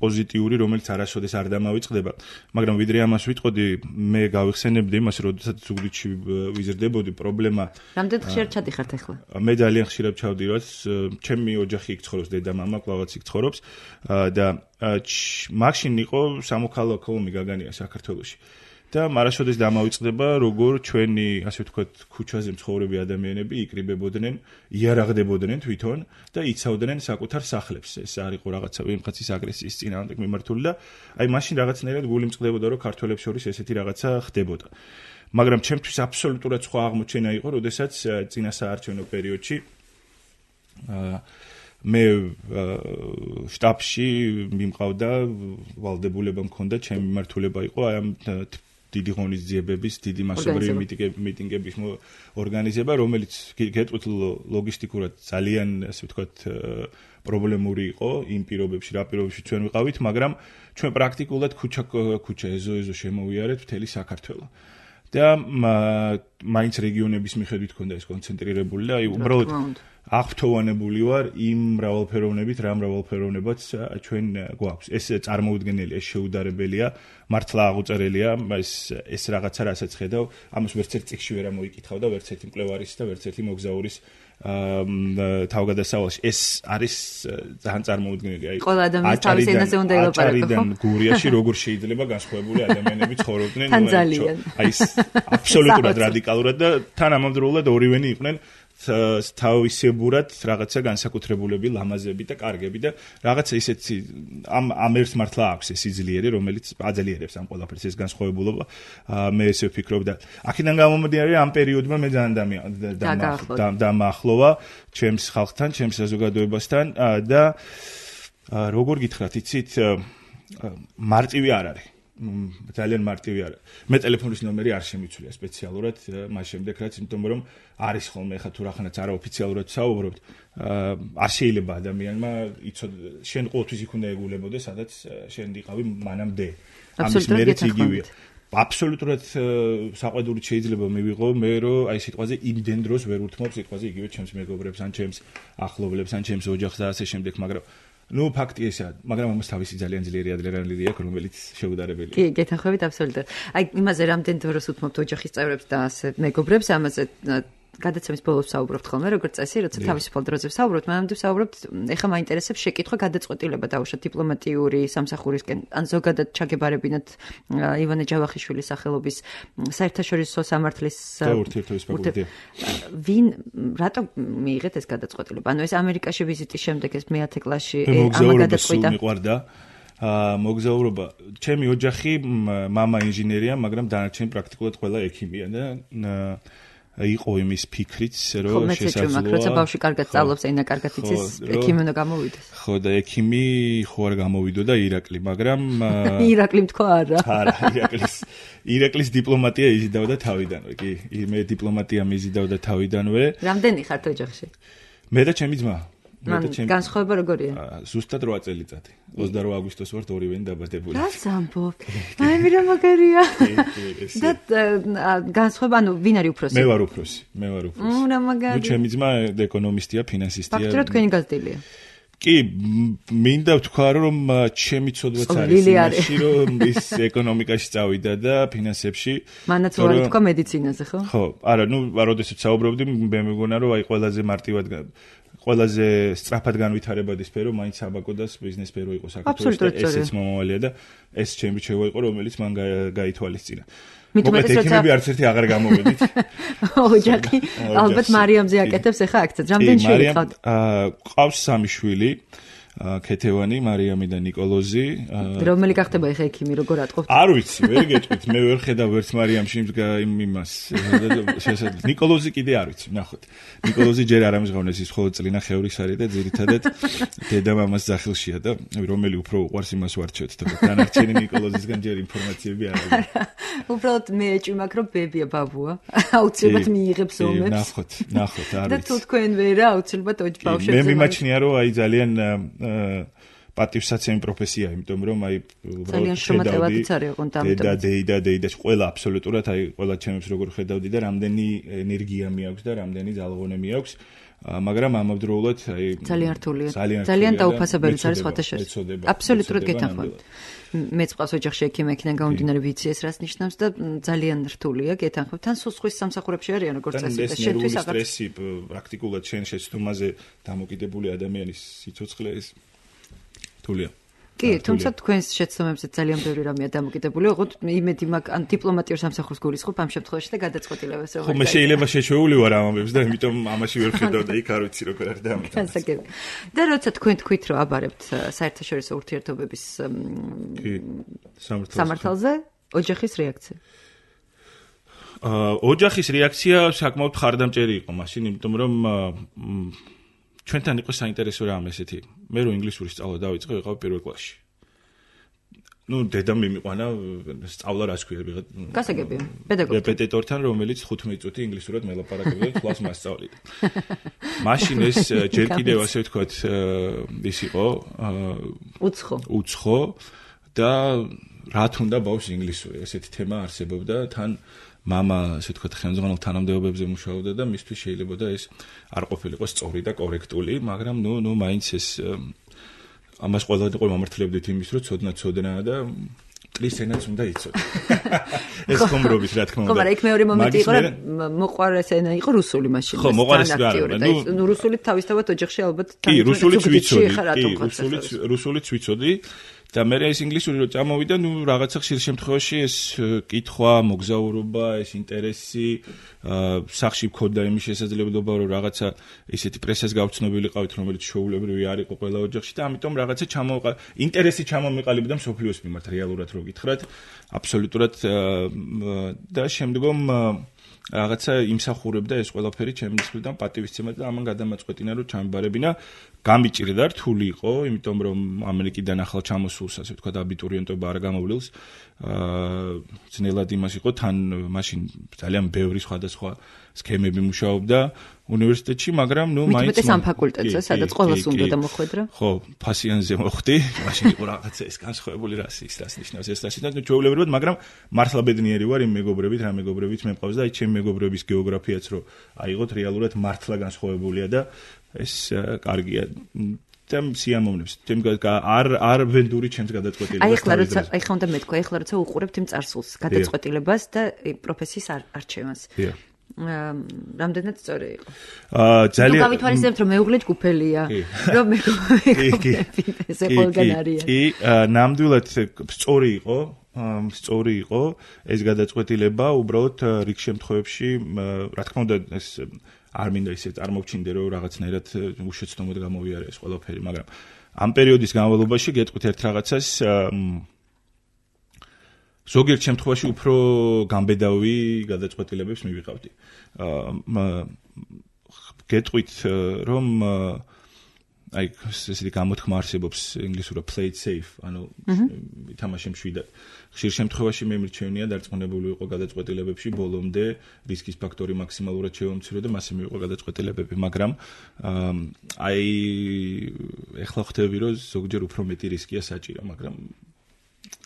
პოზიტიური, რომელიც არასოდეს არ დამავიწყდება, მაგრამ ვიდრე ამას ვიტყოდი, მე გავიხსენებდი იმას, როდესაც ზუგდიდში ვიზრდებოდი, პრობლემა. რამდენად ხშირად ჩადიხართ ახლა? მე ძალიან ხშირად ჩავდივარ, ჩემი ოჯახი იქ ცხოვრობს, დედა-მამა კლავაც იქ ცხოვრობს და მაშინ იყო სამოქალაქო ომი გაგანია საქართველოში. და მარასოდეს დამავიწყდება, როგორ ჩვენი, ასე ვთქვათ, ქუჩაზე მცხოვრები ადამიანები იკრიბებოდნენ, იარაღდებოდნენ თვითონ და იცავდნენ საკუთარ სახლებს. ეს არ იყო რაღაცა ვიღაცის აგრესიის წინააღმდეგ მიმართული და აი მაშინ რაღაცნაირად გული მწყდებოდა, რომ ქართველებს შორის ესეთი რაღაცა ხდებოდა. მაგრამ ჩემთვის აბსოლუტურად სხვა აღმოჩენა იყო, როდესაც წინა საარჩევნო პერიოდში მე შტაბში მიმყავდა ვალდებულება მქონდა, ჩემი მიმართულება იყო აი ამ დიდი ღონისძიებების, დიდი მასობრივი მიტინგების ორგანიზება, რომელიც გეტყვით ლოგისტიკურად ძალიან, ასე ვთქვათ, პრობლემური იყო იმ პირობებში, რა პირობებში ჩვენ ვიყავით, მაგრამ ჩვენ პრაქტიკულად ქუჩა ეზო შემოვიარეთ მთელი საქართველო. და მაინც რეგიონების მიხედვით ქონდა ეს კონცენტრირებული და უბრალოდ აღფრთოვანებული ვარ იმ მრავალფეროვნებით, რა მრავალფეროვნებაც ჩვენ გვაქვს. ეს წარმოუდგენელია, ეს შეუდარებელია, მართლა აღუწერელია, ეს რაღაცა რასაც ხედავ, ამას ვერც ერთ წიგნში ვერ ამოიკითხავ და ვერც ერთი მკვლევარის და ვერც ერთი მოგზაურის თავგადასავალში. ეს არის ძალიან წარმოუდგენელი. აი, ყველა ადამიანს თავის ენაზე უნდა ელაპარაკო. აჭარიდან გურიაში როგორ შეიძლება განსხვავებული ადამიანები ცხოვრობდნენ, აი, აბსოლუტურად რადიკალურად და თან ამავდროულად ორივენი იყვნენ თავისებურად რაღაცა განსაკუთრებულები, ლამაზები და კარგები და რაღაცა ისეთი ამ ერთ მართლა აქვს ეს სიძლიერე, რომელიც აძლიერებს ამ ყველაფერს ეს განსხვავებულობა. მე ესე ვფიქრობ და აქედან გამომდინარე ამ პერიოდმა მე ძალიან დამახლოვა ჩემს ხალხთან, ჩემს საზოგადოებასთან და როგორ გითხრათ, იცით, მარტივი არ არის. ძალიან მარტივი არა. მე ტელეფონის ნომერი არ შემიცვლია სპეციალურად მას შემდეგ რაც, იმიტომ რომ არის ხოლმე ხა თუ რახანაც არაოფიციალურად საუბრობთ, არ შეიძლება ადამიანმა იცოდე, შენ ყოველთვის იქ უნდა ეგულებოდეს, სადაც შენ იყავი მანამდე. ამის მერეც იგივეა. აბსოლუტურად საყვედურით შეიძლება მივიღო მე რომ აი სიტყვაზე იმდენ დროს ვერ უთმობ სიტყვაზე იგივე ჩემს მეგობრებს ან ჩემს ახლობლებს ან ჩემს ოჯახს და ასე შემდეგ, მაგრამ ფაქტი ესაა, მაგრამ ამას თავისი ძალიან ძლიერი ადრენალინი აქვს, რომელიც შეუდარებელია. კი, გეთანხმებით აბსოლუტურად. აი, იმაზე რამდენ დროს უთმობთ ოჯახის წევრებს და ასე მეგობრებს, ამაზე გადაცემის ბოლოს საუბრობთ ხოლმე, როგორც წესი, როცა თავისუფალ დროზე საუბრობთ, მანამდე საუბრობთ, ეხლა მაინტერესებს შეკითხვა გადაწყვეტილება დაუშვათ დიპლომატიური სამსახურისკენ, ან ზოგადად ჩაგებარებინათ ივანე ჯავახიშვილის სახელობის საერთაშორისო სამართლის ურთიერთობის ფაკულტეტი. ვინ რატო მიიღეთ ეს გადაწყვეტილება? ანუ ეს ამერიკაში ვიზიტის შემდეგ ეს მე-10 კლასში ამა გადაწყვიტა. მოგზაურობა. ჩემი ოჯახი, მამა ინჟინერია, მაგრამ დანარჩენი პრაქტიკულად ყველა ექიმია და იყო იმის ფიქრიც, რომ შესაძლოა. როცა ბავშვი კარგად სწავლობს, ენა კარგად იცის, ექიმი უნდა გამოვიდეს. ხო და ექიმი ხო არ გამოვიდო და ირაკლი, მაგრამ ირაკლი თქვა არა. არა, ირაკლის დიპლომატია იზიდავდა თავიდანვე, კი. მე დიპლომატია მიზიდავდა თავიდანვე. რამდენი ხართ ოჯახში? მე და ჩემი ძმა. განსხვავება როგორია? ზუსტად 8 წელიწადი. 28 აგვისტოს ვართ ორივენი დაბადებული. რას ამბობ? აი მე რა მაგარია. და განსხვავება, ანუ ვინ არის უფროსი? მე ვარ უფროსი. რა მაგარია. ჩემი ძმა ეკონომისტია, ფინანსისტია. ფაქტობრივად თქვენი გაზრდილია. კი, მინდა ვთქვა, რომ ჩემი ცოდვაც არის იმაში, რომ ის ეკონომიკაში წავიდა და ფინანსებში. მანაც ვარ თქვა მედიცინაზე, ხო? ხო, არა, როდესაც საუბრობდი, მე მეგონა, რომ აი ყველაზე მარტივად ყველაზე სწრაფად განვითარებადი სფერო მაინც აბაკოდას ბიზნეს სფერო იყო საქართველოს და ესეც მომავალია და ეს ჩემი რჩევა იყო, რომელიც მან გაითვალისწინა. მოკლედ ექიმები არც ერთი აღარ გამოვედით. ოჯახი ალბათ მარიამზე აკეთებს ახლა აქცენტს. რამდენი შვილი ყავთ? ყავს 3 შვილი. ქეთევანი, მარიამი და ნიკოლოზი. რომელი გახდება ახლა ექიმი, როგორ ატყობთ? არ ვიცი, ვერ გეტყვით, მე ვერ ხედავ ვერც მარიამში იმას. შესაძლოა ნიკოლოზი კიდე არ ვიცი, ნახოთ. ნიკოლოზი ჯერ არ ამჟღავნეს, ის მხოლოდ წლინა ხევრის არის და ძირითადად დედა მამას ძახილშია და რომელი უფრო უყვარს იმას ვარჩევთ, თქო. დანარჩენი ნიკოლოზისგან ჯერ ინფორმაციები არ არის. უბრალოდ მე ეჭვმაქ რომ ბებია ბაბუა. აუცილებლად მიიღებს ომებს. ნახოთ, არ ვიცი. და თუ თქვენ ვერა, აუცილებლად ბავშვებზე. მე მიმაჩნია რომ აი ძალიან პატივსაცემი პროფესია, იმიტომ რომ აი ძალიან შრომატევადიც არის ოღონდ ამიტომ. და ყველა აბსოლუტურად აი ყველა ჩემებს როგორ ხედავდი და რამდენი ენერგია მეაქვს და რამდენი ძალღონე მეაქვს, მაგრამ ამავდროულად აი ძალიან რთულია. ძალიან დაუფასებელიც არის სხვათა შორის. აბსოლუტურად გეთანხმებით. მეც ყავს ოჯახში ექიმი, იქიდან გამომდინარე ვიცი ეს რას ნიშნავს და ძალიან რთულია, გეთანხმებით. თან სხვის სამსახურებში არიან როგორც წესი და შენთვის აღარ სტრესი პრაქტიკულად შენ შეცდომაზე დამოკიდებული ადამიანის სიცოცხლე ეს რთულია. კი, თუმცა თქვენს შეცდომებზე ძალიან ბევრი რამეა დამოკიდებული, ოღონდ იმედი მაქვს ან დიპლომატიურ სამსახურს გულისხმობ ამ შემთხვევაში და გადაწყვეტილებას როგორ. ხო, მე შეიძლება შეჩვეული ვარ ამ ამბებს და იმიტომ ამაში ვერ ხედავ და იქ არ ვიცი როგორ არის და ამიტომ. განსაკუთრებით. და როცა თქვენ თქვით რომ აბარებთ საერთაშორისო ურთიერთობების სამართალზე, ოჯახის რეაქცია? ოჯახის რეაქცია საკმაოდ ხარდამჭერი იყო მაშინ, იმიტომ რომ ჩვენთან იყო საინტერესო რამ ესეთი. მე რო ინგლისური სწავლა დავიწყე, ვიყავ პირველ კლასში. დედამ მიმიყვანა სწავლა რას ქვია ვიღა. გასაგებია, პედაგოგი. რეპეტიტორთან, რომელიც 15 წუთი ინგლისურად მელაპარაკებდა და თვალს მასწავლიდა. მაშინ ეს ჯერ კიდევ ასე ვთქვათ, ის იყო უცხო და რა თუნდა ბავშვს ინგლისური, ესეთი თემა არსებობდა, თან мама, ასე ვთქვათ, ხელმძღვანელ თანამდებობებზე მუშაობდა და მისთვის შეიძლება და ეს არ ყოფილიყო სწორი და კორექტული, მაგრამ მაინც ეს ამას ყველადან მომართლებდით იმის, რომ ცოდნა და მტრის ენაც უნდა იცოდე. ეს ხომრობის რა თქმა უნდა. ხო, მაგრამ იქ მეორე მომენტი იყო, რომ მოყვარეს ენა იყო რუსული მაშინ. ხო, მოყვარეს რა. რუსულით თავისთავად ოჯახში ალბათ კი, რუსულიც ვიცოდი. რუსულიც ვიცოდი. და მე ეს ინგლისური რო წამოვიდა, რაღაცა ხშირ შემთხვევაში ეს კითხვა, მოგზაურობა, ეს ინტერესი, სახში მქონდა იმის შესაძლებლობა, რომ რაღაცა ისეთი პრესას გავცნობილიყავით, რომელიც შეუულებრივი არ იყო ყველა ოჯახში და ამიტომ რაღაცა ინტერესი ჩამომეყალიბდა მსოფლიოს მიმართ რეალურად რო გითხრათ, აბსოლუტურად და შემდგომ რაღაცა იმსახურებდა ეს ყველაფერი ჩემს მხრიდან პატივისცემად და ამან გადამაწყვეტინა რომ ჩამბარებინა გამიჭირდა რთული იყო იმიტომ რომ ამერიკიდან ახალ ჩამოსულს ასე ვთქვათ აბიტურიენტობა არ გამოვლილს ძნელად იმას იყო თან მაშინ ძალიან ბევრი სხვადასხვა სქემები მუშაობდა უნივერსიტეტში მაგრამ მაინც ამ ფაკულტეტზე სადაც ყველას უნდა და მოხვედრა ხო ფასიანზე მოხვდი მაშინ იყო რაღაცა ეს განსხვავებული რასის რას ნიშნავს ეს რასი და ჩვეულებრივად მაგრამ მართლა ბედნიერი ვარ იმ მეგობრებით რა მეგობრებით მე მყავს და აი ჩემი მეგობრების გეოგრაფიაც რო აიღოთ რეალურად მართლა განსხვავებულია და ეს კარგია და სიამოვნებს არ ვენდური ჩემს გადაწყვეტილებას აი ხლა უნდა მეთქვა ახლა როცა უყურებთ იმ წარსულს გადაწყვეტილებას და პროფესიის არჩევანს რამდენად სწორი იყო ძალიან გავითვალისწინებთ რომ მეუღლე ჯგუფელია რომ მეგობრები ესე ყველგან არიან კი ნამდვილად სწორი იყო ეს გადაწყვეტილება უბრალოდ რიგ შემთხვევებში რა თქმა უნდა ეს არ მინდა ისე წარმოვჩინდე რომ რაღაცნაირად უშეცდომოდ გამოვიარე ეს ყველაფერი მაგრამ ამ პერიოდის განმავლობაში გეტყვით ერთ რაღაცას ზოგიერთ შემთხვევაში უფრო გამბედავი გადაწყვეტილებებს მივიღავდი გეტყვით რომ აი ესეთი გამოთქმა არსებობს ინგლისურად play it safe ანუ ითამაშე მშვიდად ხშირ შემთხვევაში მე მირჩევნია დარწმუნებული ვიყო გადაწყვეტილებებში ბოლომდე რისკის ფაქტორი მაქსიმალურად შევამცირე და მასე მივიყო გადაწყვეტილებები მაგრამ აი ეხლა ხვდები რომ ზოგჯერ უფრო მეტი რისკია საჭირო მაგრამ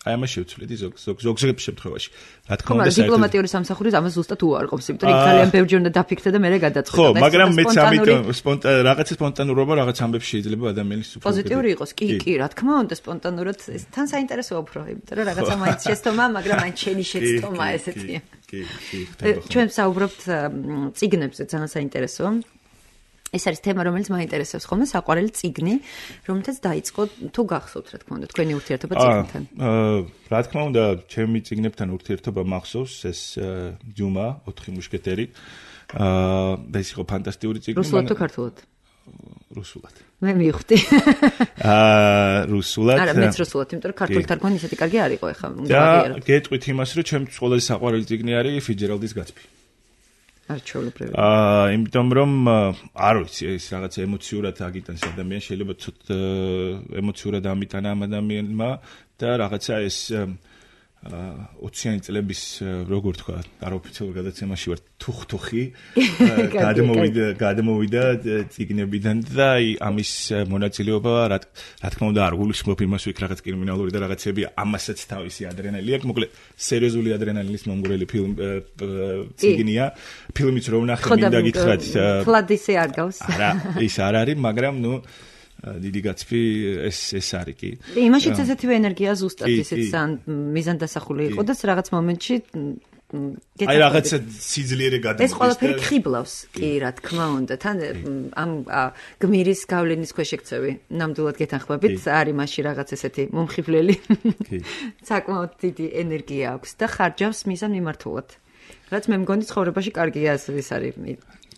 აი ამას შევცვლედი ზოგ შემთხვევაში. რა თქმა უნდა, დიპლომატიური სამსახურის ამას ზუსტად უარყოფს, იმიტომ რომ ძალიან ბევრი უნდა დაფიქრდე და მე გადაწყვეტა. ხო, მაგრამ მეც ამიტომ რაღაცა სპონტანურობა, რაღაც ამბებში შეიძლება ადამიანის უფრო პოზიტიური იყოს. კი, რა თქმა უნდა, სპონტანურად თან საინტერესოა უფრო, იმიტომ რომ რაღაცა მაინც შეცდომა, მაგრამ მაინც შენი შეცდომა ესეთია. კი. ჩვენ საუბრობთ წიგნებზე, ძალიან საინტერესოა. ეს არის თემა, რომელიც მაინტერესებს ხოლმე, საყვარელი წიგნი, რომელთაც დაიწყო თუ გახსოვთ, რა თქმა უნდა, თქვენი ურთიერთობა წიგნთან. რა თქმა უნდა, ჩემი წიგნებთან ურთიერთობა მახსოვს, ეს დიუმა, 4 მუშკეტერი. და ის იყო ფანტასტიკური წიგნი. რუსულად თუ ქართულად? რუსულად. მე მივხვდი. რუსულად. არა, მეც რუსულად, იმიტომ რომ ქართული თარგმანი ისეთი კარგი არ იყო ეხლა. და გეტყვით იმას, რომ ჩემთვის ყველაზე საყვარელი წიგნი არის ფიჯერალდის გაცბი. არჩეულებრივი. იმიტომ რომ არ ვიცი ეს რაღაც ემოციურად აგიტანს ადამიანს შეიძლება ცოტა ემოციურად ამიტანა ამ ადამიანმა და რაღაცა ეს 20-იანი წლების როგორ თქვა არაოფიციალურ გადაცემაში ვარ თუხთუხი გადმოვიდა წიგნებიდან და ამის მონაწილეობა რა თქმა უნდა არ გულისხმობ იმას ვიქ რაღაც კრიმინალური და რაღაცები ამასაც თავისი ადრენალინი აქვს მოკლედ სერიოზული ადრენალინის მომგვრელი წიგნია ფილმიც რო ვნახე მინდა გითხრათ ფლადისე არ გავს არა ის არ არის მაგრამ დიდი გაცბი ეს არის კი. იმაშიც ესეთივე ენერგია ზუსტად ისიც მიზანდასახული იყო და რაღაც მომენტში აი რაღაცა სიძლიერე გადამოდის. ეს ყველაფერი ხიბლავს კი რა თქმა უნდა. თან ამ გმირის გავლენის ქვეშ ექცევი. ნამდვილად გეთანხმებით, არის მასში რაღაც ესეთი მომხიბლელი. კი. საკმაოდ დიდი ენერგია აქვს და ხარჯავს მიზან მიმართულად. რაც მე მგონი ცხოვრებაში კარგია ეს არის.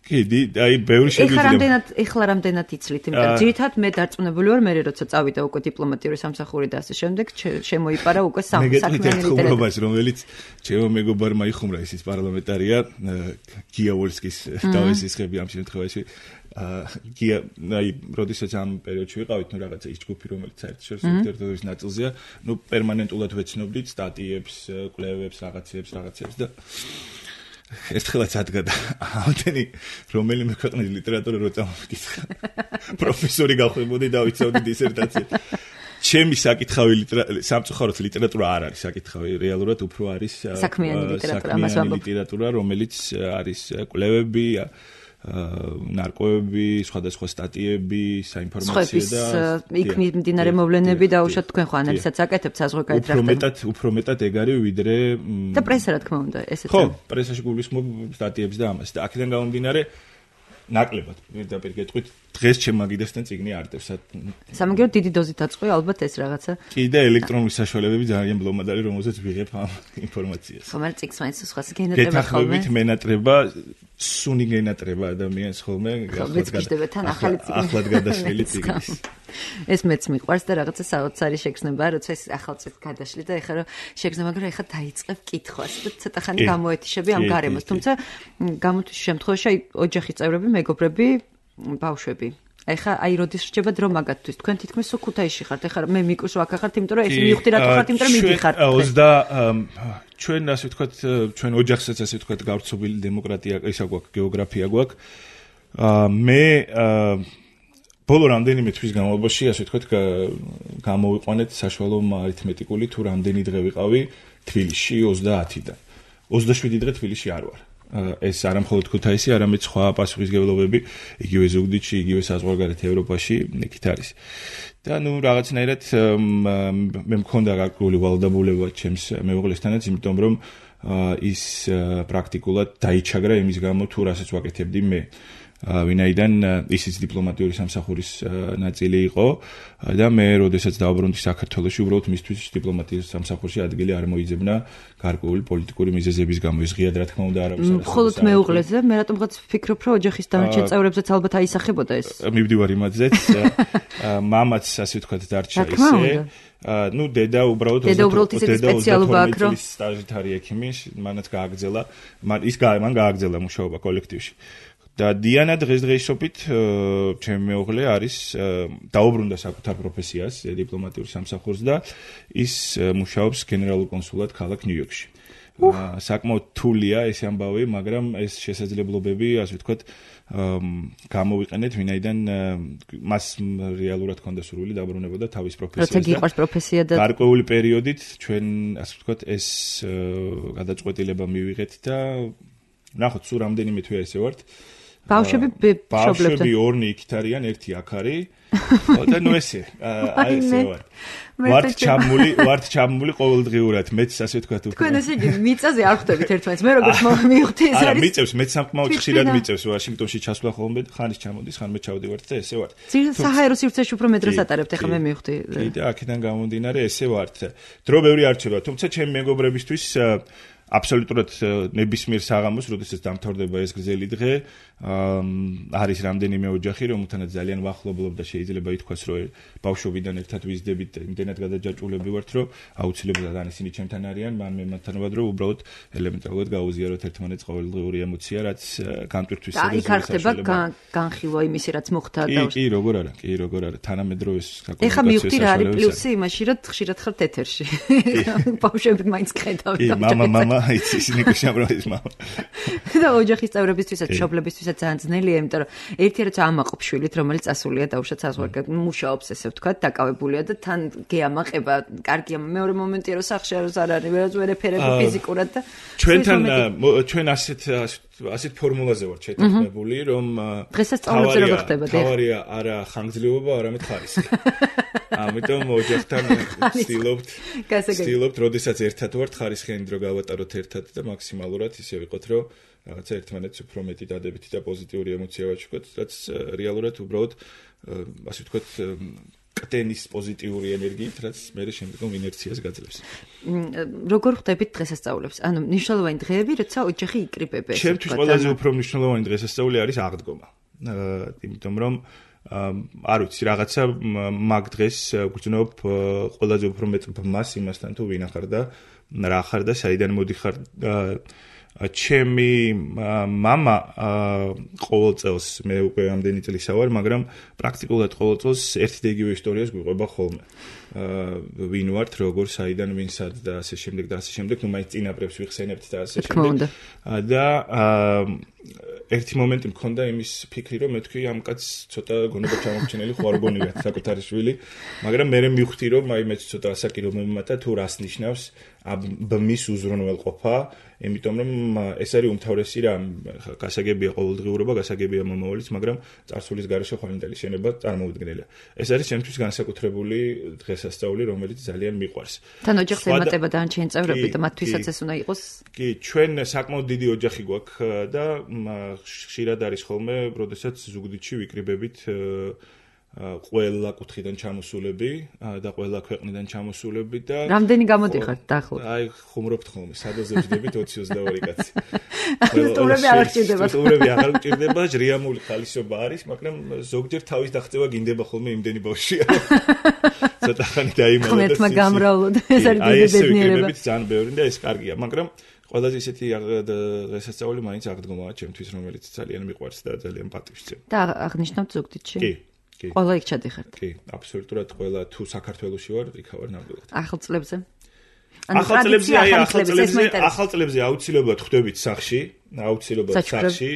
კი, აი ბევრი შეგვიძლია. ეხლა რამდენად იცლით, იმიტომ ძირითადად მე დარწმუნებული ვარ, მე როცა წავიდა უკვე დიპლომატიური სამსახური და ასე შემდეგ, შემოიპარა უკვე საქმიანი ლიტერატურა, რომელიც ჩემო მეგობარმა იხუმრა, ისიც პარლამენტარია, გია ვოლსკის თავისისხები ამ შემთხვევაში. გია, აი, როდესაც ამ პერიოდში ვიყავით, ნუ რაღაცა ის ჯგუფი, რომელიც საერთაშორისო ლიტერატურის ნაწილზეა, ნუ პერმანენტულად ვეცნობდით სტატიებს, კვლევებს, რაღაცებს და ერთხელაც ადგა და ამდენი რომელიმე ქვეყნის ლიტერატურა რო წამოვიკითხა. პროფესორი გავხდებოდი და ვიცავდი დისერტაცია. ჩემი საკითხავი სამწუხაროდ ლიტერატურა არ არის საკითხავი, რეალურად უფრო არის საქმიანი ლიტერატურა, რომელიც არის კვლევები, ნარკვევები, სხვადასხვა სტატიები, საინფორმაციო და იქ მიმდინარე მოვლენები და უშოთ თქვენ ხო ანალიზსაც აკეთებთ საზღვარგარეთ რა. უფრო მეტად ეგ არის ვიდრე და პრესა რა თქმა უნდა, ესეც. ხო, პრესაში გულისხმობ სტატიებს და ამას და აქედან გამომდინარე ნაკლებად პირდაპირ გეტყვით დღეს ჩემ მაგიდასთან წიგნი არტევს. სამაგერო დიდი დოზით აწყვი ალბათ ეს რაღაცა. კი და ელექტრონული საშუალებები ძალიან ბლომად არის, რომელზეც ვიღებ ამ ინფორმაციას. ხომ არ წიგს მაინც სხვას გენატრება ხოლმე. გეთანხმებით მენატრება, სუნი გენატრება ადამიანს ხოლმე, ახლად გადაშლილი წიგნის. ეს მეც მიყვარს და რაღაცა საოცარი შეგრძნება, როცა ეს ახალ წიგნს გადაშლი და ეხლა რომ შეგრძნება, მაგრამ ეხლა დაიწყებ კითხვას და ცოტა ხანი გამოეთიშები ამ გარემოს. თუმცა გამოთვის შემთხვევაში აი ოჯახის წევრები, მეგობრები, ბავშვები. ეხლა აი როდის რჩება დრო მაგათთვის. თქვენ თითქმის სუქუთაისში ხართ. ეხლა მე მიკუს ვაკახართ, იმიტომ რომ ეს მივხვდი რატო ხართ, იმიტომ რომ მიდიხართ. ჩვენ ასე ვთქვათ, ჩვენ ოჯახსაც ასე ვთქვათ, გავრცობილი დემოკრატია, ისა გვაქვს, გეოგრაფია გვაქვს. მე ბოლო რამდენიმე თვის განმავლობაში ასე ვთქვათ, გამოვიყვანეთ საშუალო არითმეტიკული თუ რამდენი დღე ვიყავი თბილისში 30-დან. 27 დღე თბილისში არ ვარ. ეს არა მხოლოდ ქუთაისი, არამედ სხვა პასუხისმგებლობები, იგივე ზუგდიდში, იგივე საზღვარგარეთ ევროპაში იქით არის. და ნუ რაღაცნაირად მე მქონდა გარკვეული ვალდებულება ჩემს მეუღლესთანაც, იმიტომ რომ ის პრაქტიკულად დაიჩაგრა იმის გამო, თუ რასაც ვაკეთებდი მე. ვინაიდან ისიც დიპლომატიური სამსახურის ნაწილი იყო და მე როდესაც დავბრუნდი საქართველოში, უბრალოდ მისთვის დიპლომატიის სამსახურში ადგილი არ მოიძებნა გარკვეული პოლიტიკური მიზეზების გამო. ის ღიად რა თქმა უნდა არავის არ მხოლოდ მეუღლეზე, მე რატომღაც ვფიქრობ, რომ ოჯახის დანარჩენ წევრებზეც ალბათ აისახებოდა ეს. მივდივარ იმათზეც, მამაც ასე ვთქვათ დარჩა ისე. ნუ დედა უბრალოდ 22 წლის სტაჟით არის ექიმი, მანაც გააგრძელა, მან გააგრძელა მუშაობა კოლექტივში. და დიანა დღესდღეობით ჩემი მეუღლე არის დაუბრუნდა საკუთარ პროფესიას, დიპლომატიურ სამსახურს და ის მუშაობს გენერალურ კონსულად ქალაქ ნიუ-იორკში. საკმაოდ რთულია ეს ამბავი, მაგრამ ეს შესაძლებლობები, ასე ვთქვათ, გამოვიყენეთ, ვინაიდან მას რეალურად ჰქონდა სურვილი დაბრუნებოდა თავის პროფესიაზე. როცა გიყვარს პროფესია და გარკვეული პერიოდით ჩვენ, ასე ვთქვათ, ეს გადაწყვეტილება მივიღეთ და ნახოთ, სულ რამდენიმე თვე ესე ვართ. ბავშვები ორნი იქით არიან, ერთი აქ არის. და ნუ ესე, აი ესე ვარ. ვართ ჩამული ყოველდღიურად, მეც ასე ვთქვათ უკვე. თქვენ ესე იგი მიწაზე არ ხვდებით ერთმანეთს, მე როგორც მივხვდი ეს არის. არა, მიწევს, მეც სამკმაოდ ხშირად მიწევს, ვაშინგტონში ჩასვლა ხოლმე, ხანის ჩამოდის, ხანმე ჩავდივართ და ესე ვართ. საჰაერო სივრცეში უფრო მე დროს ატარებთ, ეხლა მე მივხვდი. კი და აქედან გამომდინარე ესე ვართ. დრო ბევრი არ რჩება, თუმცა ჩემი მეგობრებისთვის აბსოლუტურად ნებისმიერ საღამოს, როდესაც დამთავრდება ეს გრძელი დღე, არის რამდენიმე ოჯახი, რომელთანაც ძალიან ვახლობლობ და შეიძლება ითქვას, რომ ბავშვობიდან ერთად ვიზდებით და იმდენად გადაჯაჭვულები ვართ, რომ აუცილებლად ან ისინი ჩემთან არიან, ან მე მათთან ვარ, რომ უბრალოდ ელემენტარულად გავუზიაროთ ერთმანეთს ყოველდღიური ემოცია, რაც განტვირთვის სერიოზული იქ არ ხდება განხილვა იმისი, რაც მოხდა და კი, როგორ არა, თანამედროვე საკომუნიკაციო ეხლა მივხვდი რა არის პლუსი იმაში, რომ ხშირად ხართ ეთერში. ბავშვები მაინც ხედავთ. კი, მამა იცის ნიკუშამროის მამა. და ოჯახის წევრებისთვისაც, მშობლებისთვისაც ძალიან ძნელია, იმიტომ რომ ერთი რაც ამაყობ შვილით, რომელიც ასულია დაუშვათ საზღვარგარეთ, მუშაობს ესე ვთქვათ, დაკავებულია და თან გეამაყება, კარგია, მეორე მომენტია რომ სახში არ არის, ვერ ეფერები ფიზიკურად და ჩვენ ასეთ ფორმულაზე ვართ შეთანხმებული, რომ დღესაც სწავლებზე როგორ ხდება და თავარია არა ხანგრძლივობა, არამედ ხარისხი. ამიტომ ოჯახთან ვცდილობთ, როდესაც ერთად ვართ, ხარისხიანი დრო გავატაროთ ერთად და მაქსიმალურად ისე ვიყოთ, რომ რაღაცა ერთმანეთს უფრო მეტი დადებითი და პოზიტიური ემოცია ვაჩუქოთ, რაც რეალურად უბრალოდ ასე ვთქვათ კტენის პოზიტიური ენერგიით, რაც მე შემდგომ ინერციას გაძლევს. როგორ ხდებით დღესასწაულებს? ანუ მნიშვნელოვანი დღეები, როცა ოჯახი იკრიბებდეს. ჩემთვის ყველაზე უფრო მნიშვნელოვანი დღესასწაული არის აღდგომა. იმიტომ რომ არ ვიცი, რაღაცა მაგ დღეს გვგრძნობ ყველაზე უფრო მეტ ბმას იმასთან თუ ვინ ახარ და რა ხარ და საიდან მოდიხარ. ჩემი мама ყოველ წელს მე უკვე ამდენი წლისა ვარ, მაგრამ პრაქტიკულად ყოველ წელს ერთი და იგივე ისტორიას გვიყვება ხოლმე. ვინ ვართ, როგორ, საიდან, ვინ სად და ასე შემდეგ და ასე შემდეგ, ნუ მაინც წინაპრებს ვიხსენებთ და ასე შემდეგ. და ერთი მომენტი მქონდა იმის ფიქრი, რომ მე თქვი ამ კაცს ცოტა გონება ჩამორჩენილი ხوارბონია საკუთარი შვილი, მაგრამ მე მივხვდი რომ აი მეც ცოტა ასაკი რომ მომიმატა თუ რას ნიშნავს ბმის უზრუნველყოფა, იმიტომ რომ ეს არის უმთავრესი რამ, გასაგებია ყოველდღიურობა, გასაგებია მომავალიც, მაგრამ წარსულის გარეშე ხვალინდელი შენება წარმოუდგენელია. ეს არის ჩემთვის განსაკუთრებული დღესასწაული, რომელიც ძალიან მიყვარს. თან ოჯახს ემატება დანარჩენი წევრები და მათთვისაც ეს უნდა იყოს. კი, ჩვენ საკმაოდ დიდი ოჯახი გვაქვს და ხშირად არის ხოლმე, როდესაც ზუგდიდში ვიკრიბებით ყველა კუთხიდან ჩამოსულები და ყველა ქვეყნიდან ჩამოსულები და რამდენი გამოდიხართ დაახლოებით? აი, ხუმრობთ ხოლმე, სადაზე ვждებით 20-22 კაცი. სტუმრები აღარ გჭირდება. სტუმრები აღარ გჭირდება, ჟრიამული ხალისობა არის, მაგრამ ზოგჯერ თავის დახწევა გინდება ხოლმე იმდენი ბავშვია. ცოტა ხანი დაიმალა და ხმეთმა გამრავლო და ეს არის დიდი ბედნიერება. ვიკრიბებით ძალიან ბევრი და ეს კარგია, მაგრამ ყველაზე ისეთი დღესასწაული მაინც აღდგომაა ჩემთვის, რომელიც ძალიან მიყვარს და ძალიან პატივს. და აღნიშნავთ ზუგდიდში? კი. ყველა იქ ჩადიხართ? კი, აბსოლუტურად ყველა თუ საქართველოში ვარ, იქ ვარ ნამდვილად. ახალ წლებზე? ახალ წლებზე აუცილებლად ხვდებით სახში, აუცილებლად სახში.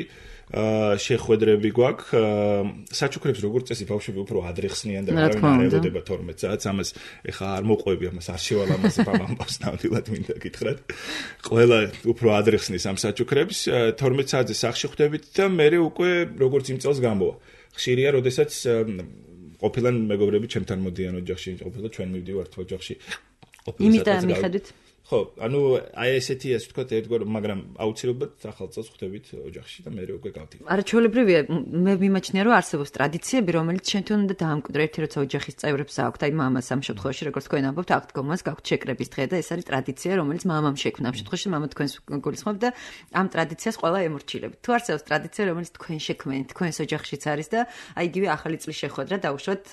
შეხვედრები გვაქვს. საჩუქრებს როგორც წესი ბავშვები უფრო ადრე ხსნიან და არავინ არ ელოდება 12 საათს. ამას ეხა არ მოყვები, ამას არ შევალ ამაზე ამბავს ნამდვილად მინდა გითხრათ. ყველა უფრო ადრე ხსნის ამ საჩუქრებს. 12 საათზე სახში ხვდებით და მე უკვე როგორც იმ წელს გამოვა. ხშირია, როდესაც ყოფილან მეგობრები ჩემთან მოდიან ოჯახში, ყოფილა ჩვენ მივდივართ ოჯახში. იმიდან მიხედვით? ხო, ანუ აი ესეთი ასე ვთქვათ ერთგვარ, მაგრამ აუცილებლად ახალ წელს ხვდებით ოჯახში და მე უკვე გავდივარ. არა, ჩვეულებრივია, მე მიმაჩნია, რომ არსებობს ტრადიციები, რომელიც ჩვენთან უნდა დაამკვიდრო, ერთი როცა ოჯახის წევრებს აქვთ, აი მამას ამ შემთხვევაში, როგორც თქვენ ამბობთ, აღდგომას გაქვთ შეკრების დღე და ეს არის ტრადიცია, რომელიც მამამ შექმნა. ამ შემთხვევაში მამა თქვენს გულისხმობთ და ამ ტრადიციას ყველა ემორჩილებით. თუ არსებობს ტრადიცია, რომელიც თქვენ შექმნით, თქვენს ოჯახშიც არის და აი იგივე ახალი წლის შეხვედრა დაუშვათ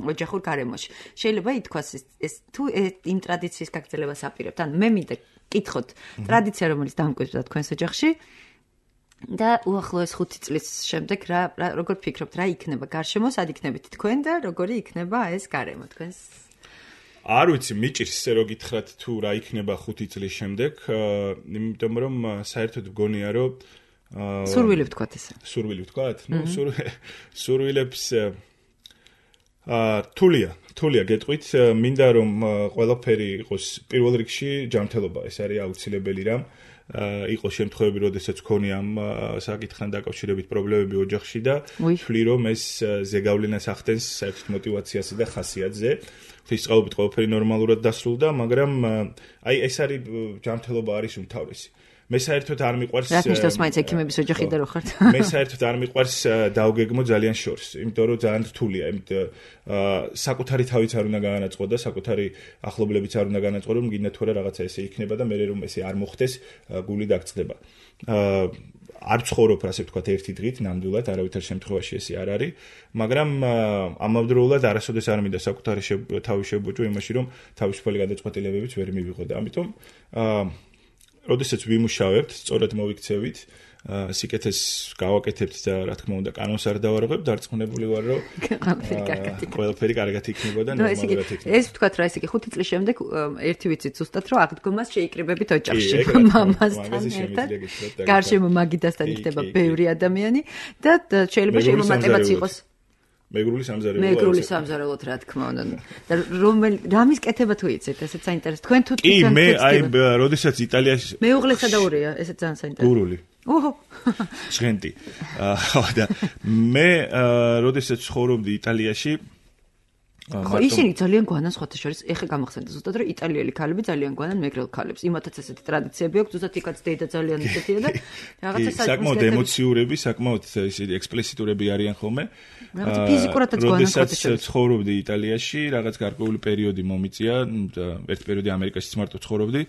ოჯახურ გარემოში. შეიძლება ითქვას ეს თუ იმ ტრადიციის გაგრძელებას აპირებთ. მე მინდა კითხოთ ტრადიცია რომელიც დამკვიდრდა თქვენს ოჯახში და უახლოეს 5 წლის შემდეგ როგორ ფიქრობთ რა იქნება გარშემო, სად იქნებით თქვენ და როგორი იქნება ეს გარემო თქვენს? არ ვიცი, მიჭირს ესე რომ გითხრათ თუ რა იქნება 5 წლის შემდეგ, იმიტომ რომ საერთოდ მგონია რომ სურვილი ვთქვათ ესე. სურვილი ვთქვათ? ნუ სურვილებს თულია გეტყვით, მინდა რომ ყველაფერი იყოს პირველ რიგში ჯანმრთელობა, ეს არის აუცილებელი რამ. იყო შემთხვევები, როდესაც ქონია ამ საკითხთან დაკავშირებით პრობლემები ოჯახში და ვთვლი რომ ეს ზეგავლენას ახდენს საერთოდ мотиваციასა და ხასიათზე. ღვთისწყალობით ყველაფერი ნორმალურად დასრულდა, მაგრამ აი ეს არის ჯანმრთელობა არის უმთავრესი. მე საერთოდ არ მიყვარს რა ნიშნავს მაინც ექიმების ოჯახი და რო ხართ? მე საერთოდ არ მიყვარს დავგეგმო ძალიან შორს, იმიტომ რომ ძალიან რთულია, საკუთარი თავიც არ უნდა გაანაწყო და საკუთარი ახლობლებიც არ უნდა გაანაწყო, რომ გინდა თუ რა რაღაცა ესე იქნება და მე რომ ესე არ მოხდეს, გული დაგწყდება. არ ცხოვრობ, ასე ვთქვათ, ერთი დღით, ნამდვილად, არავითარ შემთხვევაში ესე არ არის, მაგრამ ამავდროულად არასოდეს არ მინდა საკუთარი თავი შევბოჭო იმაში, რომ თავისუფალი გადაწყვეტილებებიც ვერ მივიღო და ამიტომ როდესაც ვიმუშავებთ, სწორად მოვიქცევით, სიკეთეს გავაკეთებთ და რა თქმა უნდა, კანონს არ დავარღვევ, დარწმუნებული ვარ, რომ ყველაფერი კარგად იქნება და ნორმალურად იქნება. ეს ვთქვათ რა, ესე იგი 5 წლის შემდეგ ერთი ვიცით ზუსტად, რომ აღდგომას შეიკრიბებით ოჯახში, მამასთან ერთად. გარშემო მაგიდასთან იქნება ბევრი ადამიანი და შეიძლება შემომატებაც იყოს მეგრული სამზარეულო. მეგრული სამზარეულოთ რა თქმა უნდა. და რამის კეთება თუ იცით, ესეც საინტერესო. თქვენ თუ კი, მე აი, როდესაც იტალიაში მეუღლესა და ურია, ესეც ძალიან საინტერესო. გურული. ოჰო. ჟღენტი. და მე როდესაც ცხოვრობდი იტალიაში, ხო, ისინი ძალიან გვანან სხვათა შორის, ეხა გამახსენდა ზუსტად რომ იტალიელი ქალები ძალიან გვანან მეგრელ ქალებს. იმათაც ესეთი ტრადიციები აქვს, ზუსტად იქაც დედა ძალიან ისეთია და რაღაცა საკმაოდ ემოციურები, საკმაოდ ისეთი ექსპლესიტურები არიან ხოლმე. რაღაცა ფიზიკურადაც გვანან სხვათა შორის. როდესაც ცხოვრობდი იტალიაში, რაღაც გარკვეული პერიოდი მომიწია, ერთ პერიოდი ამერიკაშიც მარტო ცხოვრობდი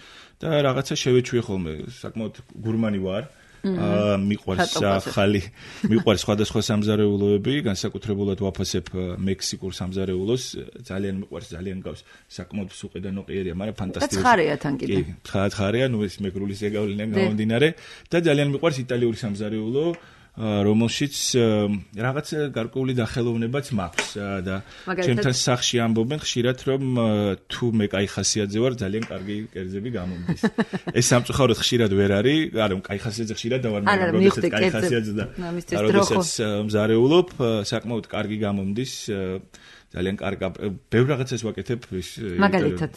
და რაღაცა შევეჩვიე ხოლმე, საკმაოდ გურმანი ვარ. მიყვარს ახალი, მიყვარს სხვადასხვა სამზარეულოები, განსაკუთრებულად ვაფასებ მექსიკურ სამზარეულოს, ძალიან მიყვარს, ძალიან გავს, საკმაოდ სუყი და ნოყიერია, მაგრამ ფანტასტიკური. და ცხარეა თან კიდე. კი, ცხარეა, ნუ ეს მეგრული ზეგავლიდან გამომდინარე და ძალიან მიყვარს იტალიური სამზარეულო, რომელშიც რაღაც გარკვეული დახელოვნებაც მაქვს და ჩემთან სახში ამბობენ ხშირად რომ თუ მე კაი ხასიათზე ვარ ძალიან კარგი კერძები გამომდის. ეს სამწუხაროდ ხშირად ვერ არის, არა, კაი ხასიათზე ხშირად დავარ, მაგრამ როდესაც კაი ხასიათზე და როდესაც მზარეულობ, საკმაოდ კარგი გამომდის, ძალიან კარგი. ბევრ რაღაცას ვაკეთებ ის მაგალითად.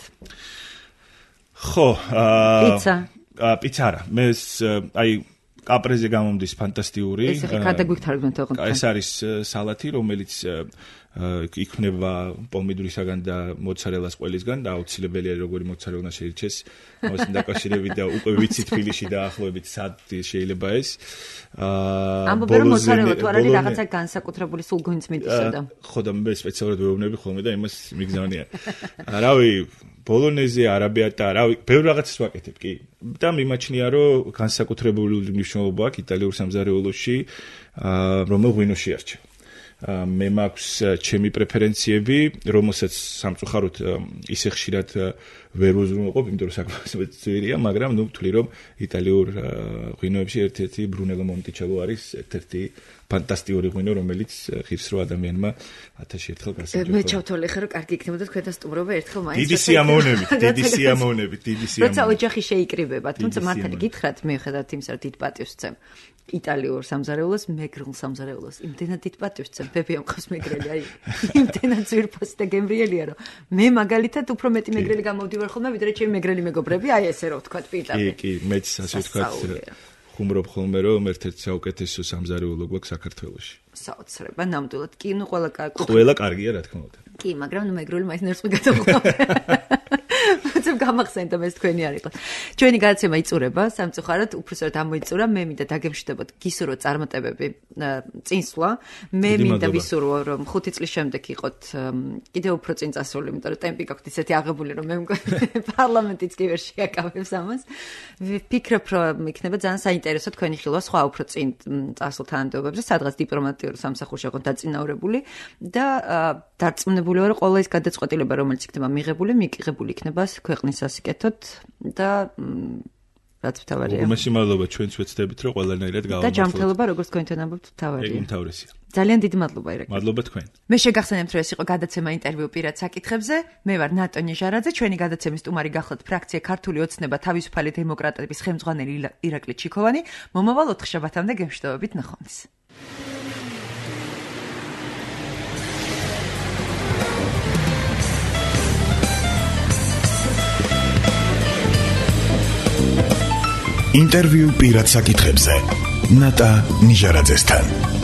ხო, პიცა. პიცა არა, მე აი კაპრეზე გამომდის ფანტასტიკური. ეს ხე გადაგვიქთარგმნოთ ოღონდ. ეს არის სალათი, რომელიც იქმნება პომიდურისაგან და მოცარელას ყველისგან და აუცილებელია როგორი მოცარელა შეირჩეს. ამასთან დაკავშირებით და უკვე ვიცი თბილისში დაახლოებით სად შეიძლება ეს. ამბობენ რომ მოცარელა თუ არ არის რაღაცა განსაკუთრებული სულ გვინც მიდისო და. ხო და მე სპეციალურად ვეუბნები ხოლმე და იმას მიგზავნია. რავი ბოლონეზე, არაბიატა, რავი, ბევრ რაღაცას ვაკეთებ, კი. და მიმაჩნია, რომ განსაკუთრებული მნიშვნელობა აქვს იტალიურ სამზარეულოში, რომელ ღვინოში არჩევ. მე მაქვს ჩემი პრეფერენციები, რომელსაც სამწუხაროდ ისე ხშირად ვერ უზრუნველყოფ, იმიტომ რომ საკმაოდ ძვირია, მაგრამ ნუ ვთვლი რომ იტალიურ ღვინოებში ერთ-ერთი ბრუნელო მონტიჩელო არის ერთ-ერთი ფანტასტიკური ღვინო, რომელიც ღირს რო ადამიანმა 1000 ერთხელ გასაჯეროა. მე ჩავთვალე ხე რომ კარგი იქნებოდა თქვენთან სტუმრობა ერთხელ მაინც. დიდი სიამოვნებით. როცა ოჯახი შეიკრიბება, თუმცა მართალი გითხრათ, მიუხედავად იმისა, რომ დიდ პატივს ვცემ იტალიურ სამზარეულოს, მეგრულ სამზარეულოს. იმდენად დიდ პატივს ვცემ, ბებია მყავს მეგრელი, აი, იმდენად ძვირფასი და გემრიელია, რომ მე მაგალითად უფრო მეტი მეგრელი გამოვდივარ ხოლმე, ვიდრე ჩემი მეგრელი მეგობრები, აი ესე რომ ვთქვათ პირდაპირ. კი, მეც ასე ვთქვათ. ხუმრობ ხოლმე რომ ერთ-ერთი საუკეთესო სამზარეულო გვაქვს საქართველოში. საოცრება, ნამდვილად. კი, ნუ ყველა კარგია, რა თქმა უნდა. კი, მაგრამ ნუ მეგრული მაინც ნერვს მიგადაყვა. უცებ გამახსენდა ეს თქვენი არ იყო. ჩვენი გადაცემა იწურება, სამწუხაროდ, უბრალოდ ამოიწურა, მე მინდა დაგემშვიდობოთ გისურვოთ წარმატებები წინსვლა. მე მინდა ვისურვო რომ 5 წლის შემდეგ იყოთ კიდევ უფრო წინ წასული, იმიტომ რომ ტემპი გაქვთ ისეთი აღებული რომ მე მგონი პარლამენტიც კი ვერ შეაკავებს ამას. ვფიქრობ რომ იქნება ძალიან საინტერესო თქვენი ხილვა სხვა უფრო წინ წასულ თანამდებობებზე, სადღაც დიპლომატიურ სამსახურში იყო დაწინაურებული და დარწმუნებული ვარ, რომ ყველა ის გადაწყვეტილება, რომელიც იქნება მიღებული, მიგიღებული იქნება ქვეყნის სასიკეთოდ და რაც მთავარია. უმეტესი მადლობა ჩვენც ვეცდებით, რომ ყველანაირად გავამართლოთ. და ჯანმრთელობა როგორც თქვენთან ამბობთ, მთავარია. ეგ უმთავრესია. ძალიან დიდი მადლობა ირაკლი. მადლობა თქვენ. მე შეგახსენებთ, რომ ეს იყო გადაცემა ინტერვიუ პირად საკითხებზე. მე ვარ ნატონი ჟარაძე, ჩვენი გადაცემის სტუმარი გახლავთ ფრაქცია ქართული ოცნება თავისუფალი დემოკრატების ხელმძღვანელი ირაკლი ჩიქოვანი. მომავალ 4 შაბათამდე გემშვიდობებით ნახვამდის. ინტერვიუ პირად საკითხებზე ნატა ნიჟარაძესთან.